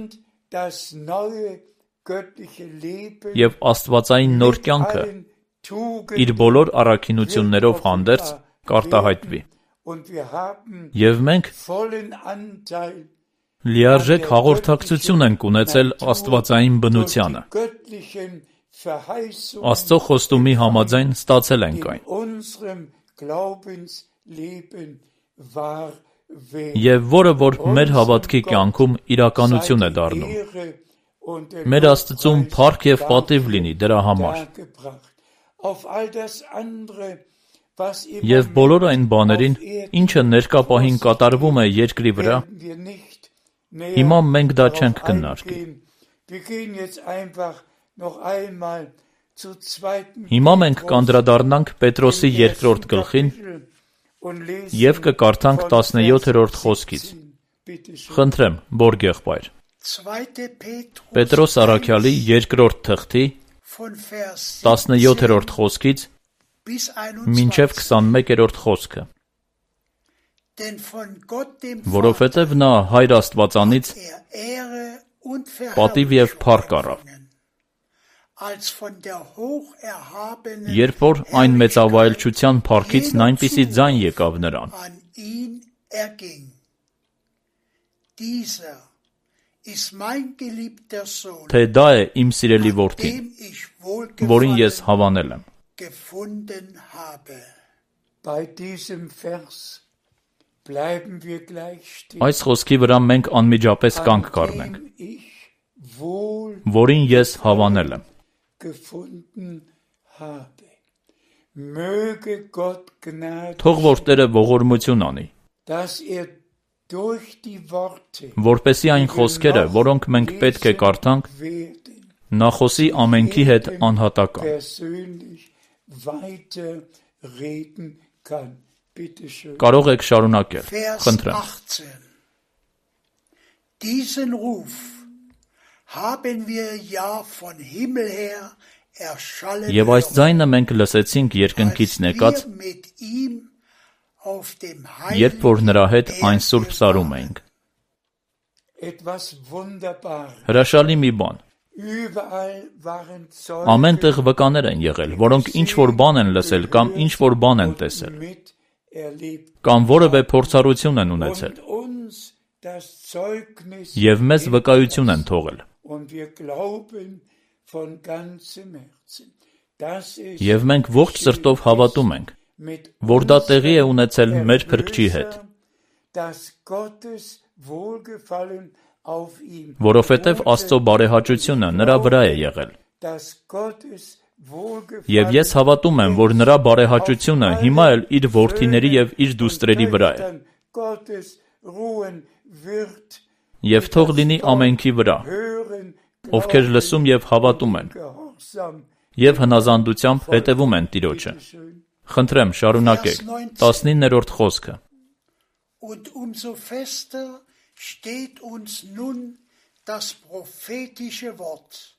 և աստվածային նոր կյանքը իր բոլոր առաքինություններով հանդերձ կարտահայտվի։ Եվ մենք լիարժեք հաղորդակցություն ենք ունեցել աստվածային բնությանը, Աստծո խոստումի համաձայն ստացել ենք այն, և որը որ մեր հավատքի կյանքում իրականություն է դառնում։ Մեր Աստծուն փառք և պատիվ լինի դրա համար։ Եվ բոլոր այն բաներին, ինչը ներկա պահին կատարվում է երկրի վրա, հիմա մենք դա չենք քննարկի։ Հիմա մենք կանդրադառնանք Պետրոսի երկրորդ գլխին և կկարդանք տասնյոթերորդ խոսքից։ Խնդրեմ, Բորգ եղբայր։ Պետրոս առաքյալի երկրորդ թղթի տասնյոթերորդ խոսքից մինչև քսանմեկերորդ խոսքը։ Որովհետև նա Հայր Աստվածանից պատիվ և փառք առավ, երբ որ այն մեծավայելչության փառքիցն այնպիսի ձայն եկավ նրան, թե դա է իմ սիրելի որդին, որին ես հավանել եմ։ Այս խոսքի վրա մենք անմիջապես կանգ կառնենք, որին ես հավանել եմ։ Թող որ Տերը ողորմություն անի, որպեսզի այն խոսքերը, որոնք մենք պետք է կարդանք, նա խոսի ամենքի հետ անհատական։ Կարող եք շարունակել, խնդրեմ։ Diesen Ruf haben wir ja von Himmel her erschallen Եվ այս ձայնը մենք լսեցինք երկնքից եկած, երբ որ նրա հետ այն սուրբ սարում էինք։ Հրաշալի մի բան։ Ամեն տեղ վկաներ են եղել, որոնք ինչ-որ բան են լսել կամ ինչ-որ բան են տեսել, կամ որևէ փորձառություն են ունեցել, և մեզ վկայություն են թողել։ Եվ մենք ողջ սրտով հավատում ենք, որ դա տեղի է ունեցել մեր Փրկչի հետ, որովհետև Աստծո բարեհաճությունը նրա վրա է եղել։ Եվ ես հավատում եմ, որ նրա բարեհաճությունը հիմա էլ իր որդիների և իր դուստրերի վրա է։ Եվ թող լինի ամենքի վրա, ովքեր լսում և հավատում են, և հնազանդությամբ հետևում են Տիրոջը։ Խնդրեմ, շարունակեք, տասնիններորդ խոսքը։ Und umso fester steht uns nun das prophetische Wort,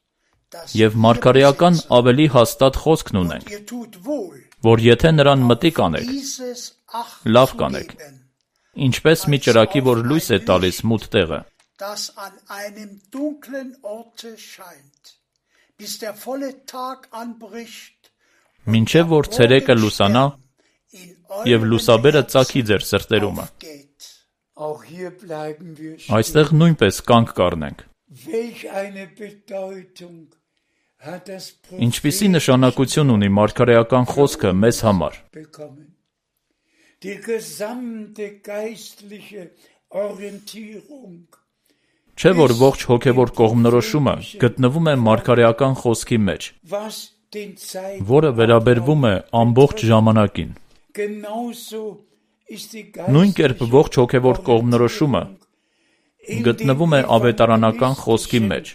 Եվ մարգարեական ավելի հաստատ խոսքն ունենք, որ եթե նրան մտիկ անեք, լավ կանեք, ինչպես մի ճրագի, որ լույս է տալիս մութ տեղը, մինչև որ ցերեկը լուսանա և լուսաբերը ծագի ձեր սրտերումը։ Այստեղ նույնպես կանգ կառնենք։ Ինչպիսի նշանակություն ունի մարգարեական խոսքը մեզ համար։ Չէ՞ որ ողջ հոգևոր կողմնորոշումը գտնվում է մարգարեական խոսքի մեջ, որը վերաբերվում է ամբողջ ժամանակին։ Նույն կերպ ողջ հոգևոր կողմնորոշումը գտնվում է ավետարանական խոսքի մեջ,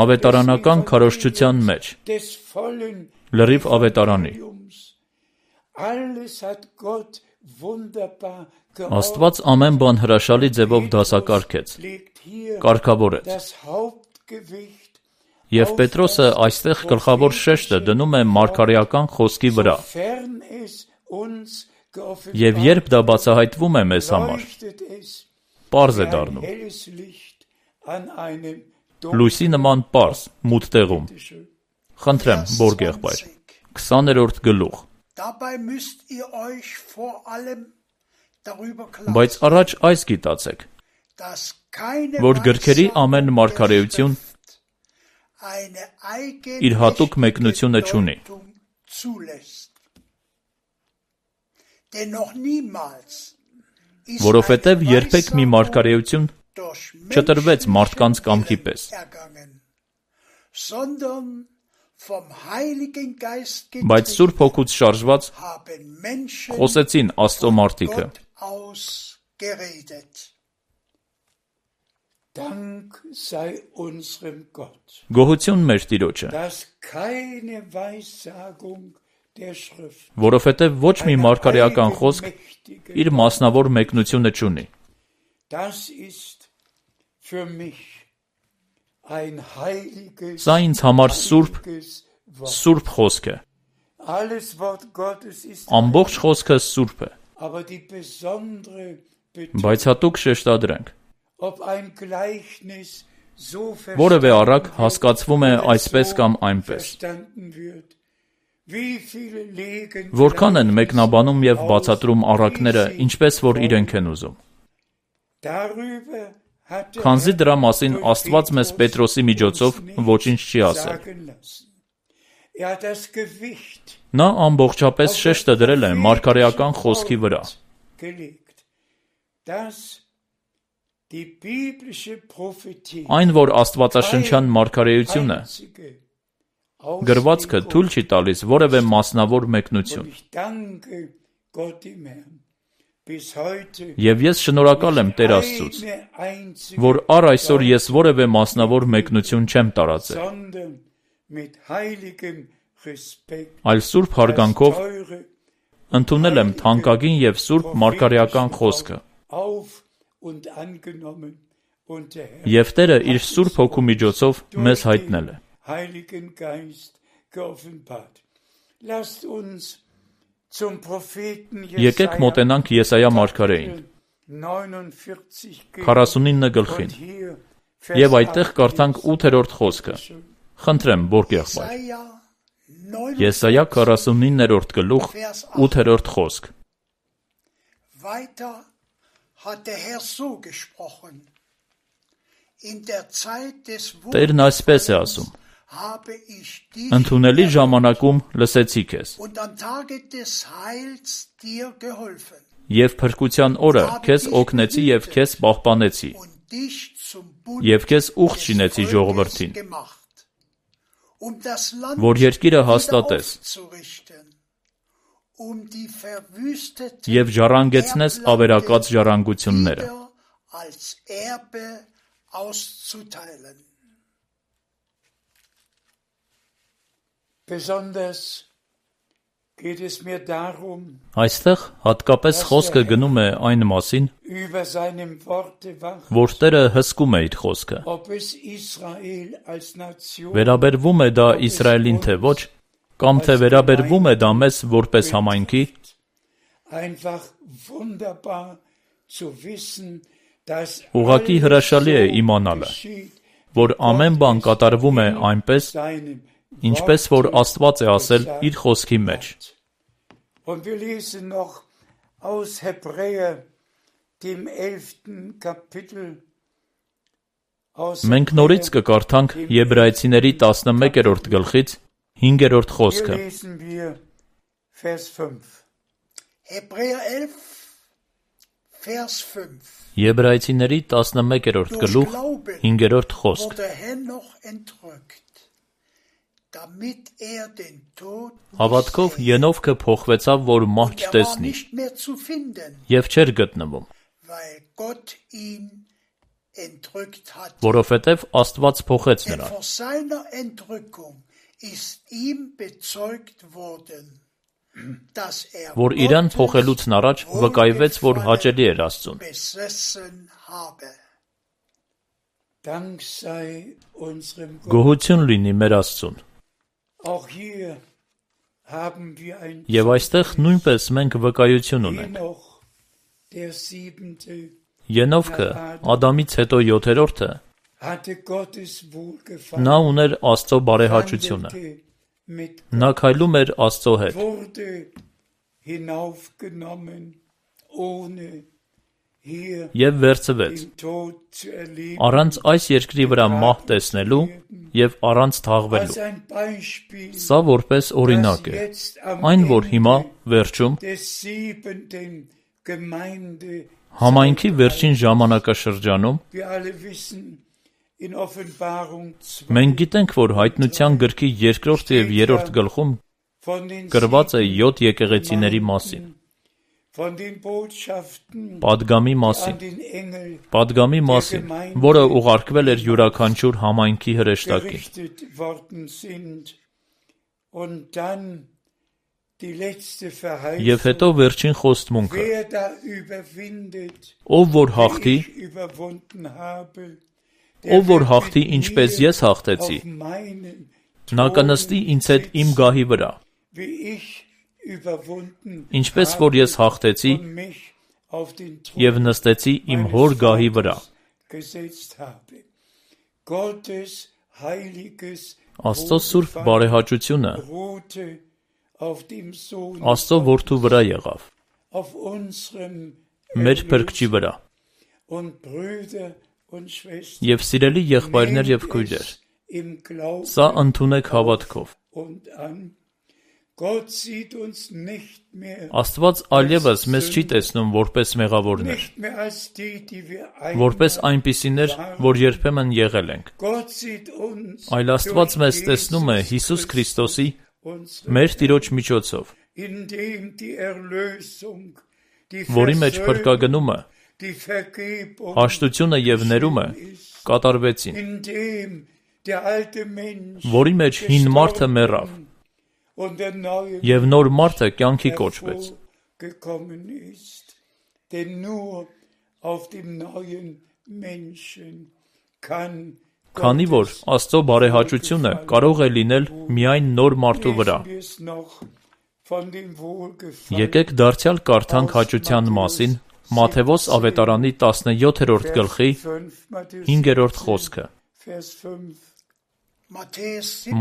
ավետարանական քարոզչության մեջ, լրիվ ավետարանի։ Աստված ամեն բան հրաշալի ձևով դասակարգեց, կարգավորեց։ Եվ Պետրոսը այստեղ գլխավոր շեշտը դնում է մարգարեական խոսքի վրա։ Եվ երբ դա բացահայտվում է մեզ համար, պարզ է դառնում։ Լույսի նման պարզ, մութ տեղում։ Խնդրեմ, Բորգ եղբայր, քսաներորդ գլուխ։ Բայց առաջ այս գիտացեք, որ գրքերի ամեն մարգարեություն իր հատուկ մեկնությունը չունի։ Որովհետև երբեք մի մարգարեություն չտրվեց մարդկանց կամքի պես, բայց Սուրբ Հոգուց շարժված խոսեցին Աստծո մարդիկը։ Գոհություն մեր Տիրոջը, որովհետև ոչ մի մարգարեական խոսք իր մասնավոր մեկնությունը չունի։ Սա ինձ համար սուրբ, սուրբ խոսք է։ Ամբողջ խոսքը սուրբ է, բայց հատուկ շեշտադրենք, որևէ առակ հասկացվում է այսպես կամ այնպես։ Որքան են մեկնաբանում և բացատրում առակները, ինչպես որ իրենք են ուզում։ Քանզի դրա մասին Աստված մեզ Պետրոսի միջոցով ոչինչ չի ասել։ Նա ամբողջապես շեշտը դրել է մարգարեական խոսքի վրա։ Այն, որ աստվածաշնչյան մարգարեությունը գրվածքը թույլ չի տալիս որևէ մասնավոր մեկնություն։ Եվ ես շնորհակալ եմ Տեր Աստծուց, որ առ այսօր ես որևէ մասնավոր մեկնություն չեմ տարածել, այլ սուրբ հարգանքով ընդունել եմ թանկագին և սուրբ մարգարեական խոսքը։ Եվ Տերը իր Սուրբ Հոգու միջոցով մեզ հայտնել է։ Եկեք մոտենանք Եսայա մարգարեին, քառասունինը գլխին, և այդտեղ կարդանք ութերորդ խոսքը։ Խնդրեմ, Բորգ եղբայր։ Եսայա քառասունիններորդ գլուխ, ութերորդ խոսք։ Տերն այսպես է ասում. ընդունելի ժամանակում լսեցի քեզ, և փրկության օրը քեզ օգնեցի և քեզ պահպանեցի, և քեզ ուխտ շինեցի ժողովրդին, որ երկիրը հաստատես, և ժառանգեցնես ավերակած ժառանգությունները։ Այստեղ հատկապես խոսքը գնում է այն մասին, որ Տերը հսկում է իր խոսքը։ Վերաբերվում է դա Իսրայելին թե ոչ, կամ թե վերաբերվում է դա մեզ որպես համայնքի, ուղղակի հրաշալի է իմանալը, որ ամեն բան կատարվում է այնպես, ինչպես որ Աստված է ասել իր խոսքի մեջ։ Մենք նորից կկարդանք Եբրայեցիների տասնմեկերորդ գլխից հինգերորդ խոսքը։ Եբրայեցիների տասնմեկերորդ գլուխ, հինգերորդ խոսք։ Հավատքով Ենովքը փոխվեցավ, որ մահ չտեսնի, և չէր գտնվում, որովհետև Աստված փոխեց նրան։ Որ իրան փոխելուց առաջ վկայվեց, որ հաճելի էր Աստծուն։ Գոհություն լինի մեր Աստծուն։ Եվ այստեղ նույնպես մենք վկայություն ունենք։ Ենովքը, Ադամից հետո յոթերորդը, նա ուներ Աստծո բարեհաճությունը։ Նա քայլում էր Աստծո հետ։ Եվ վերցվեց, առանց այս երկրի վրա մահ տեսնելու և առանց թաղվելու։ Սա որպես օրինակ է, այն որ հիմա, վերջում, համայնքի վերջին ժամանակաշրջանում, մենք գիտենք, որ Հայտնության գրքի երկրորդ և երրորդ գլխում գրված է յոթ եկեղեցիների մասին, պատգամի մասին, պատգամի մասին, որը ուղարկվել էր յուրաքանչյուր համայնքի հրեշտակին։ Եվ հետո վերջին խոստմունքը. ով որ հաղթի, ով որ հաղթի, ինչպես ես հաղթեցի, նա կնստի ինձ հետ իմ գահի վրա, ինչպես որ ես հաղթեցի և նստեցի իմ հոր գահի վրա։ Աստծո սուրբ բարեհաճությունը Աստծո որդու վրա եղավ, մեր փրկչի վրա։ Եվ սիրելի եղբայրներ և քույրեր, սա ընդունեք հավատքով։ Աստված այլևս մեզ չի տեսնում որպես մեղավորներ, որպես այնպիսիներ, որ երբեմն եղել ենք, այլ Աստված մեզ տեսնում է Հիսուս Քրիստոսի, մեր Տիրոջ միջոցով, որի մեջ փրկագնումը, հաշտությունը և ներումը կատարվեցին, որի մեջ հին մարդը մեռավ, und der neue Եվ նոր մարդը կյանքի կոչվեց։ hervorgekommen ist. Denn nur auf dem neuen Menschen kann Քանի որ Աստծո բարեհաճությունը կարող է լինել միայն նոր մարդու վրա։ wir es noch von dem Wohlgefallen Եկեք դարձյալ կարդանք հաճության մասին Մատթեոս ավետարանի տասնյոթերորդ գլխի հինգերորդ խոսքը։ Vers fünf.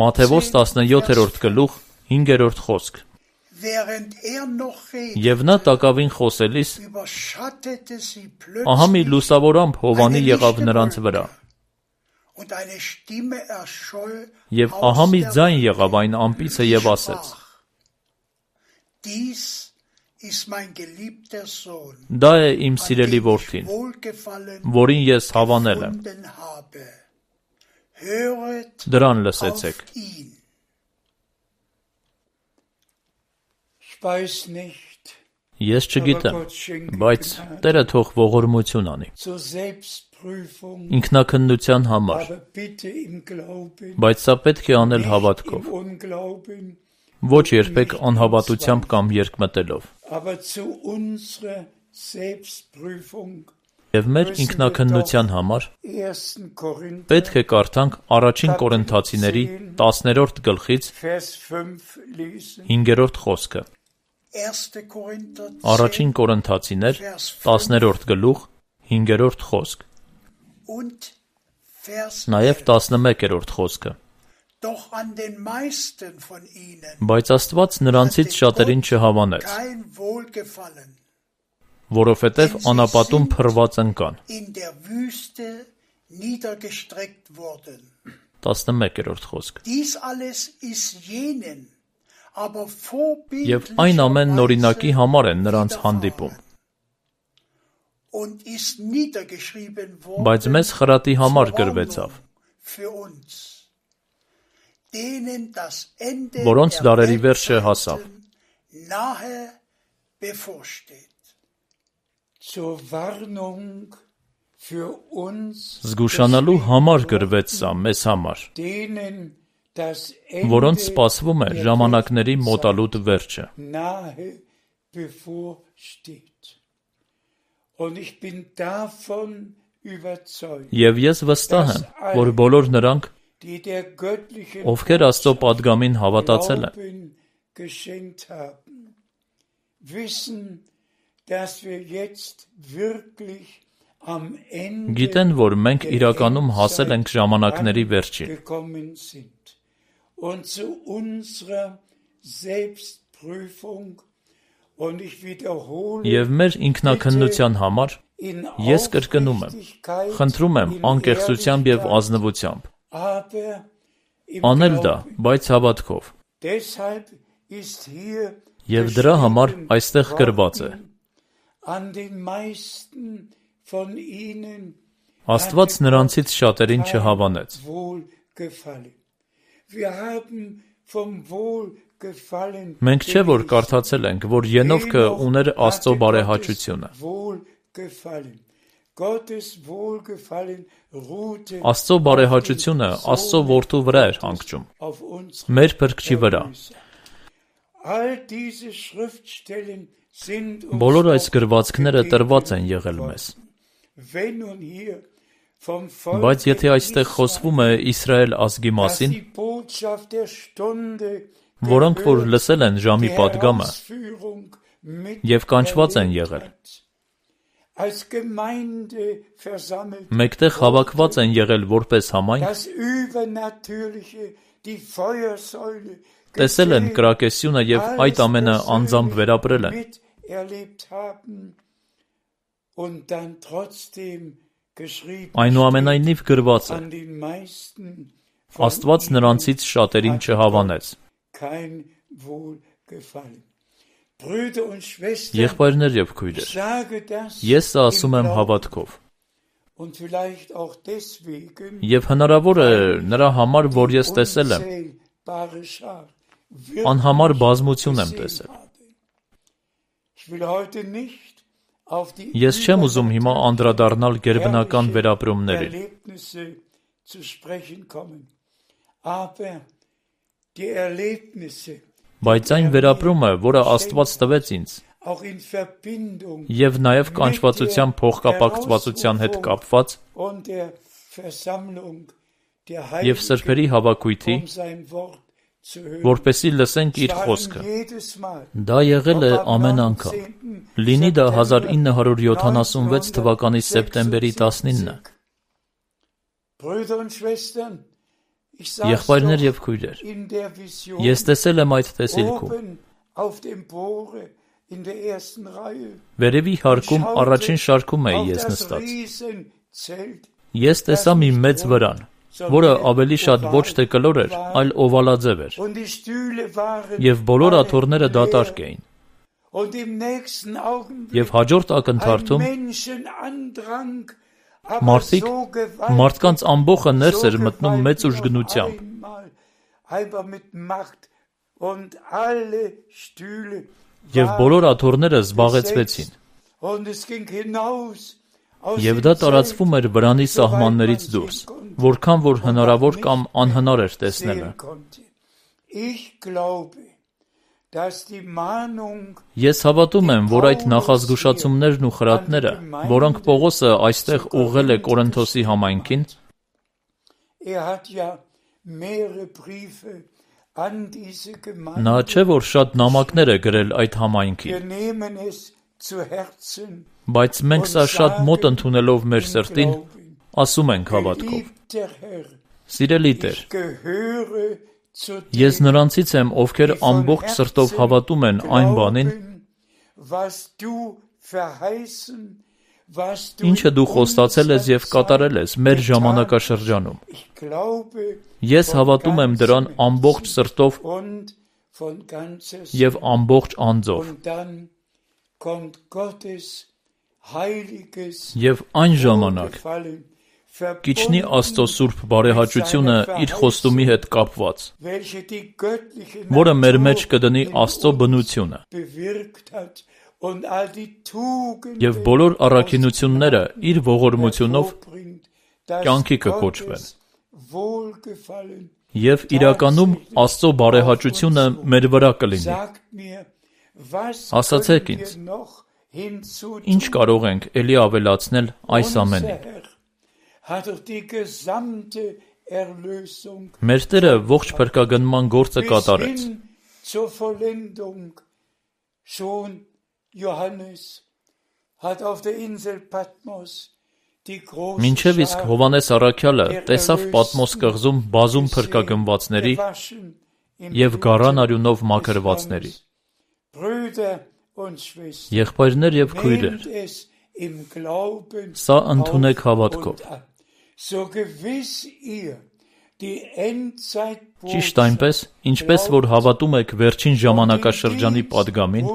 Մատթեոս տասնյոթերորդ գլուխ հինգերորդ խոսք։ Während er noch redete, Եվ նա տակավին խոսելիս überschattete sie ահա մի plötzlich լուսավորամբ Հովանի եղավ նրանց վրա։ und eine Stimme erscholl Եվ aus ահա մի der ձայն Wolke. եղավ այն ամպիցը եւ ասեց. Dies ist mein geliebter Sohn, Դա է իմ an սիրելի dem ich որդին, wohlgefallen որին ես հավանել եմ։ gefunden habe. Höret Դրան auf լսեցեք։ ihn. Ich weiß nicht, Ես aber չգիտեմ, Gott schenke բայց Gnade Տերը թող ողորմություն անի։ zur Selbstprüfung, Ինքնակննության համար, aber bitte im Glauben, բայց սա պետք է անել nicht հավատքով, im Unglauben, ոչ երբեք անհավատությամբ կամ երկմտելով։ aber zu unserer Selbstprüfung. Եվ մեր ինքնակննության համար ersten Korinther, պետք է կարդանք առաջին Կորինթացիների տասներորդ գլխից Vers fünf lesen. հինգերորդ խոսքը։ erster Korinther Առաջին Կորինթացիներ տասներորդ գլուխ հինգերորդ խոսք։ und Vers Նաև տասնմեկերորդ խոսքը։ Doch an den meisten von ihnen Բայց Աստված նրանցից շատերին չհավանեց, kein Wohlgefallen որովհետև անապատում փռված ընկան։ in der Wüste niedergestreckt wurden. տասնմեկերորդ խոսք։ Dies alles ist jenen, aber Եվ այն ամենն օրինակի vorbildlicherweise համար են նրանց հանդիպում, und ist niedergeschrieben բայց worden մեզ խրատի համար zur գրվեցավ, Warnung für uns, denen das Ende որոնց der դարերի վերջը հասավ։ Weltzeiten nahe bevorsteht. Zur Warnung für uns, Զգուշանալու համար գրվեց սա մեզ համար, denen das որոնց Ende սպասվում է der ժամանակների մոտալուտ վերջը։ nahe bevorsteht. Und ich bin davon überzeugt, Եվ ես վստահ եմ, որ բոլոր նրանք, die der göttlichen ովքեր Աստծո պատգամին հավատացել են, Glauben geschenkt haben, wissen, dass wir jetzt wirklich am Ende գիտեն, որ մենք der իրականում հասել ենք ժամանակների Endzeit վերջին, gekommen sind. Und zu unserer Selbstprüfung, und ich wiederhole, եւ մեր ինքնակննության համար in ես կրկնում եմ, Aufrichtigkeit, խնդրում եմ in անկեղծությամբ եւ Ehrlichkeit, ազնվությամբ, aber im անել դա, Glauben. բայց հավատքով, Deshalb ist hier եւ դրա համար geschrieben այստեղ գրված է. worden, an den meisten von ihnen Աստված hatte նրանցից շատերին kein չհավանեց։ Wohlgefallen. Wir haben vom Wohlgefallen Մենք չէ որ կարդացել ենք, որ Ենովքը ուներ Աստծո բարեհաճությունը։ Wohlgefallen. Gottes Wohlgefallen ruhte Աստծո բարեհաճությունը Աստծո որդու վրա էր հանգչում, auf uns. մեր փրկչի վրա։ All diese Schriftstellen sind uns Բոլոր այս doch գրվածքները gegeben տրված են եղել worden. մեզ։ Wenn nun hier vom Volk Բայց եթե այստեղ խոսվում է Իսրայել ազգի dass մասին, die Botschaft der Stunde որոնք որ gehört, լսել են ժամի die պատգամը Herausführung mit եւ կանչված են erlebt եղել, hat. Als Gemeinde versammelt, մեկտեղ հավաքված են եղել որպես համայնք, das Übernatürliche, die Feuersäule, տեսել են gesehen, կրակեսյունը եւ այդ ամենը անձամբ վերապրել են, miterlebt haben und dann trotzdem geschrieben այնուամենայնիվ գրված է. an den meisten von Աստված ihnen նրանցից շատերին hat չհավանեց։ kein Wohlgefallen. Brüder und Schwestern, Եղբայրներ եւ ich քույրեր, sage das ես սա ասում im եմ Glauben հավատքով, und vielleicht auch deswegen, եւ հնարավոր է նրա համար, որ ես տեսել եմ, unzählbare Schar wirklich անհամար բազմություն եմ gesehen տեսել։ habe. Ich will heute nicht auf die Ես չեմ ուզում հիմա անդրադառնալ գերբնական վերապրումներին, Erlebnisse zu sprechen kommen, aber die Erlebnisse, Բայց այն վերապրումը, որը Աստված տվեց ինձ, և նաև կանչվածության փոխկապակցվածության հետ կապված և սրբերի հավաքույթի, որպեսզի լսենք իր խոսքը, դա եղել է ամեն անգամ, լինի դա հազար ինը հարյուր յոթանասունվեց թվականի սեպտեմբերի տասնինը։ Եղբայրներ և քույրեր, ես տեսել եմ այդ տեսիլքում։ Վերևի հարկում առաջին շարքում էի ես նստած։ Ես տեսա մի մեծ վրան, որը ավելի շատ ոչ թե կլոր էր, այլ օվալաձև էր, և բոլոր աթոռները դատարկ էին։ Եվ հաջորդ ակնթարթում մարդիկ, մարդկանց ամբոխը ներս էր մտնում մեծ ուժգնությամբ, և բոլոր աթոռները զբաղեցվեցին, և դա տարածվում էր վրանի սահմաններից դուրս, որքան որ հնարավոր կամ անհնար էր տեսնելը։ Ես հավատում եմ, որ այդ նախազգուշացումներն ու խրատները, որոնք Պողոսը այստեղ ուղղել է Կորինթոսի համայնքին, նա չէ, որ շատ նամակներ է գրել այդ համայնքին, բայց մենք սա շատ մոտ ընդունելով մեր սրտին, ասում ենք հավատքով. «Սիրելի Տեր, ես նրանցից եմ, ովքեր ամբողջ սրտով հավատում են այն բանին, ինչը դու խոստացել ես և կատարել ես մեր ժամանակաշրջանում։ Ես հավատում եմ դրան ամբողջ սրտով և ամբողջ անձով։ Եվ այն ժամանակ կիջնի Աստծո սուրբ բարեհաճությունը իր խոստումի հետ կապված, որը մեր մեջ կդնի Աստծո բնությունը, և բոլոր առաքինությունները իր ողորմությունով կյանքի կկոչվեն, և իրականում Աստծո բարեհաճությունը մեր վրա կլինի։ Ասացեք ինձ, ինչ կարող ենք էլի ավելացնել այս ամենին։ Մեր Տերը ողջ փրկագնման գործը կատարեց։ Մինչև իսկ Հովհաննես առաքյալը տեսավ Պատմոս կղզում բազում փրկագնվածների և գառան արյունով մաքրվածների։ Եղբայրներ և քույրեր, սա ընդունեք հավատքով։ Ճիշտ այնպես, ինչպես որ հավատում եք վերջին ժամանակաշրջանի պատգամին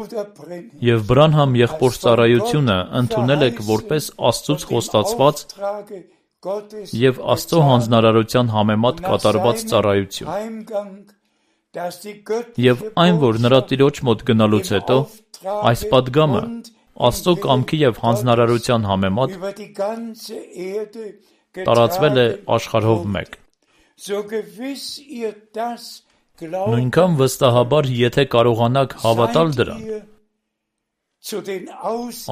և Բրանհամ եղբոր ծառայությունը ընդունել եք որպես Աստծուց խոստացված և Աստծո հանձնարարության համեմատ կատարված ծառայություն։ Եվ այն, որ նրա տիրոջ մոտ գնալուց հետո, այս պատգամը Աստծո կամքի և հանձնարարության համեմատ տարածվել է աշխարհով մեկ։ Նույնքան վստահաբար, եթե կարողանաք հավատալ դրան,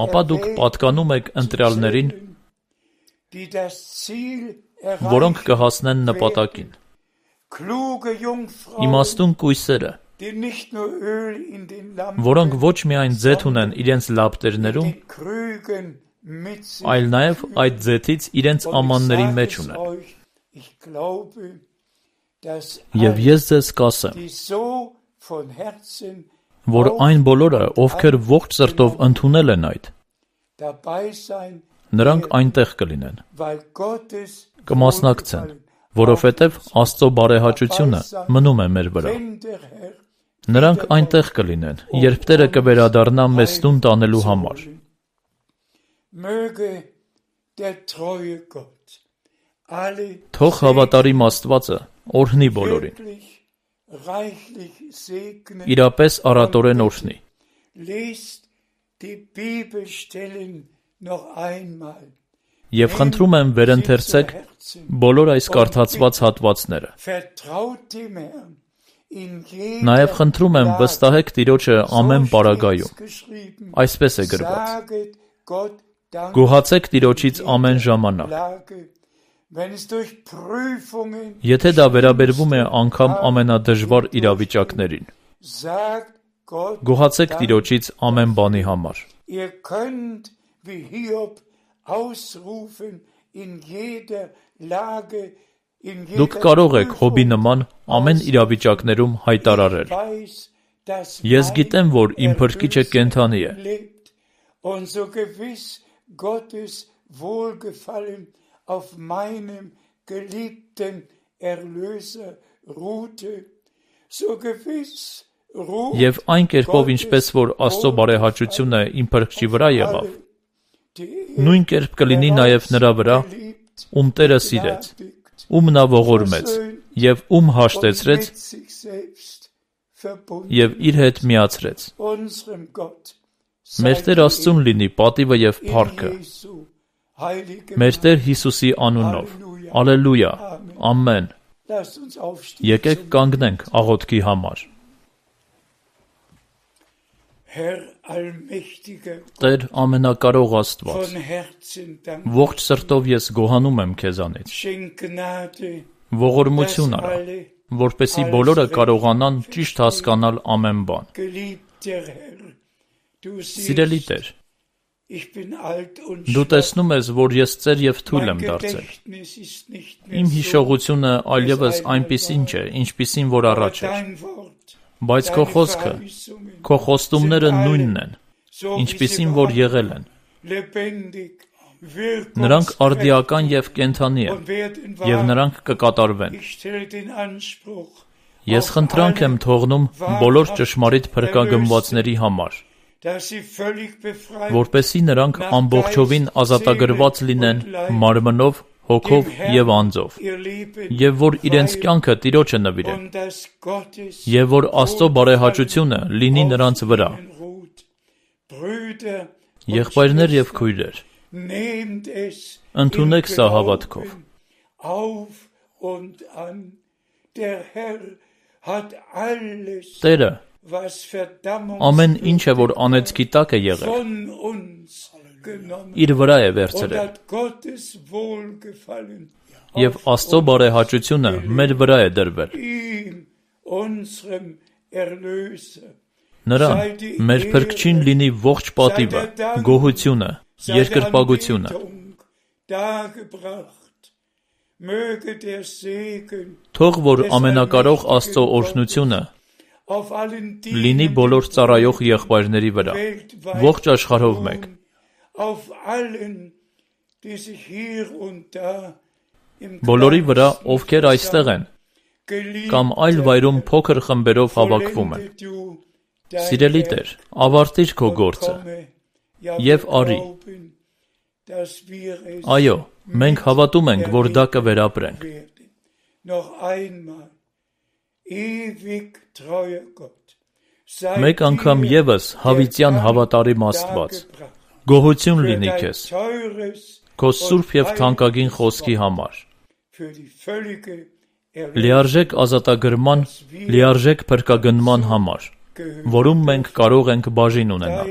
ապա դուք պատկանում եք ընտրյալներին, որոնք կհասնեն նպատակին։ Իմաստուն կույսերը, որոնք ոչ միայն ձեթ ունեն իրենց լապտերներում, այլ նաև այդ ձեթից իրենց ամանների մեջ ունեն։ Եվ ես ձեզ կասեմ, որ այն բոլորը, ովքեր ողջ սրտով ընդունել են այդ, նրանք այնտեղ կլինեն, կմասնակցեն, որովհետև Աստծո բարեհաճությունը մնում է մեր վրա։ Նրանք այնտեղ կլինեն, երբ Տերը կվերադառնա մեզ տուն տանելու համար։ Թող հավատարիմ Աստվածը օրհնի բոլորին, իրապես առատորեն օրհնի։ Եվ խնդրում եմ վերընթերցեք բոլոր այս կարդացված հատվածները։ Նաև խնդրում եմ վստահեք Տիրոջը ամեն պարագայում։ Այսպես է գրված. Գոհացեք Տիրոջից ամեն ժամանակ։ Եթե դա վերաբերվում է անգամ ամենադժվար իրավիճակներին, գոհացեք Տիրոջից ամեն բանի համար։ Դուք կարող եք Հոբի նման ամեն իրավիճակներում հայտարարել. Ես գիտեմ, որ իմ Փրկիչը կենդանի է։ Եվ այն կերպով, ինչպես որ Աստծո բարեհաճությունը իմ Փրկչի վրա եղավ, նույն կերպ կլինի նաև նրա վրա, ում Տերը սիրեց, ում նա ողորմեց, և ում հաշտեցրեց, և իր հետ միացրեց։ Մեր Տեր Աստծուն լինի պատիվը և փառքը, մեր Տեր Հիսուսի անունով, ալելույա, ամեն։ Եկեք կանգնենք աղոթքի համար։ Տեր ամենակարող Աստված, ողջ սրտով ես գոհանում եմ քեզանից։ Ողորմություն արա, որպեսզի բոլորը կարողանան ճիշտ հասկանալ ամեն բան։ Սիրելի Տեր, դու տեսնում ես, որ ես ծեր և թույլ եմ դարձել։ Իմ հիշողությունը այլևս այնպիսին չէ, ինչպիսին որ առաջ էր։ Բայց քո խոսքը, քո խոստումները նույնն են, ինչպիսին որ եղել են։ Նրանք արդիական և կենդանի են, և նրանք կկատարվեն։ Ես խնդրանք եմ թողնում բոլոր ճշմարիտ փրկագնվածների համար, որպեսզի նրանք ամբողջովին ազատագրված լինեն մարմնով, հոգով և անձով, և որ իրենց կյանքը Տիրոջը նվիրեն, և որ Աստծո բարեհաճությունը լինի նրանց վրա։ Եղբայրներ և քույրեր, ընդունեք սա հավատքով։ Տերը ամեն ինչը, որ անեծքի տակ է եղել, իր վրա է վերցրել, և Աստծո բարեհաճությունը մեր վրա է դրվել։ Նրան, մեր Փրկչին լինի ողջ պատիվը, գոհությունը, երկրպագությունը։ Թող որ ամենակարող Աստծո օրհնությունը լինի բոլոր ծառայող եղբայրների վրա, ողջ աշխարհով մեկ։ Բոլորի վրա, ովքեր այստեղ են, կամ այլ վայրում փոքր խմբերով հավաքվում են։ Սիրելի Տեր, ավարտիր քո գործը և արի։ Այո, մենք հավատում ենք, որ դա կվերապրենք։ Մեկ անգամ ևս հավիտյան հավատարիմ Աստված, գոհություն լինի քեզ, քո սուրբ և թանկագին խոսքի համար, լիարժեք ազատագրման, լիարժեք փրկագնման համար, որում մենք կարող ենք բաժին ունենալ։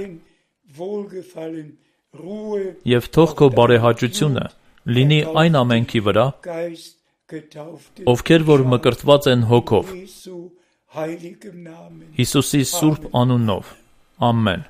Եվ թող քո բարեհաճությունը լինի այն ամենքի վրա, ովքեր որ մկրտված են հոգով, Հիսուսի սուրբ անունով, ամեն։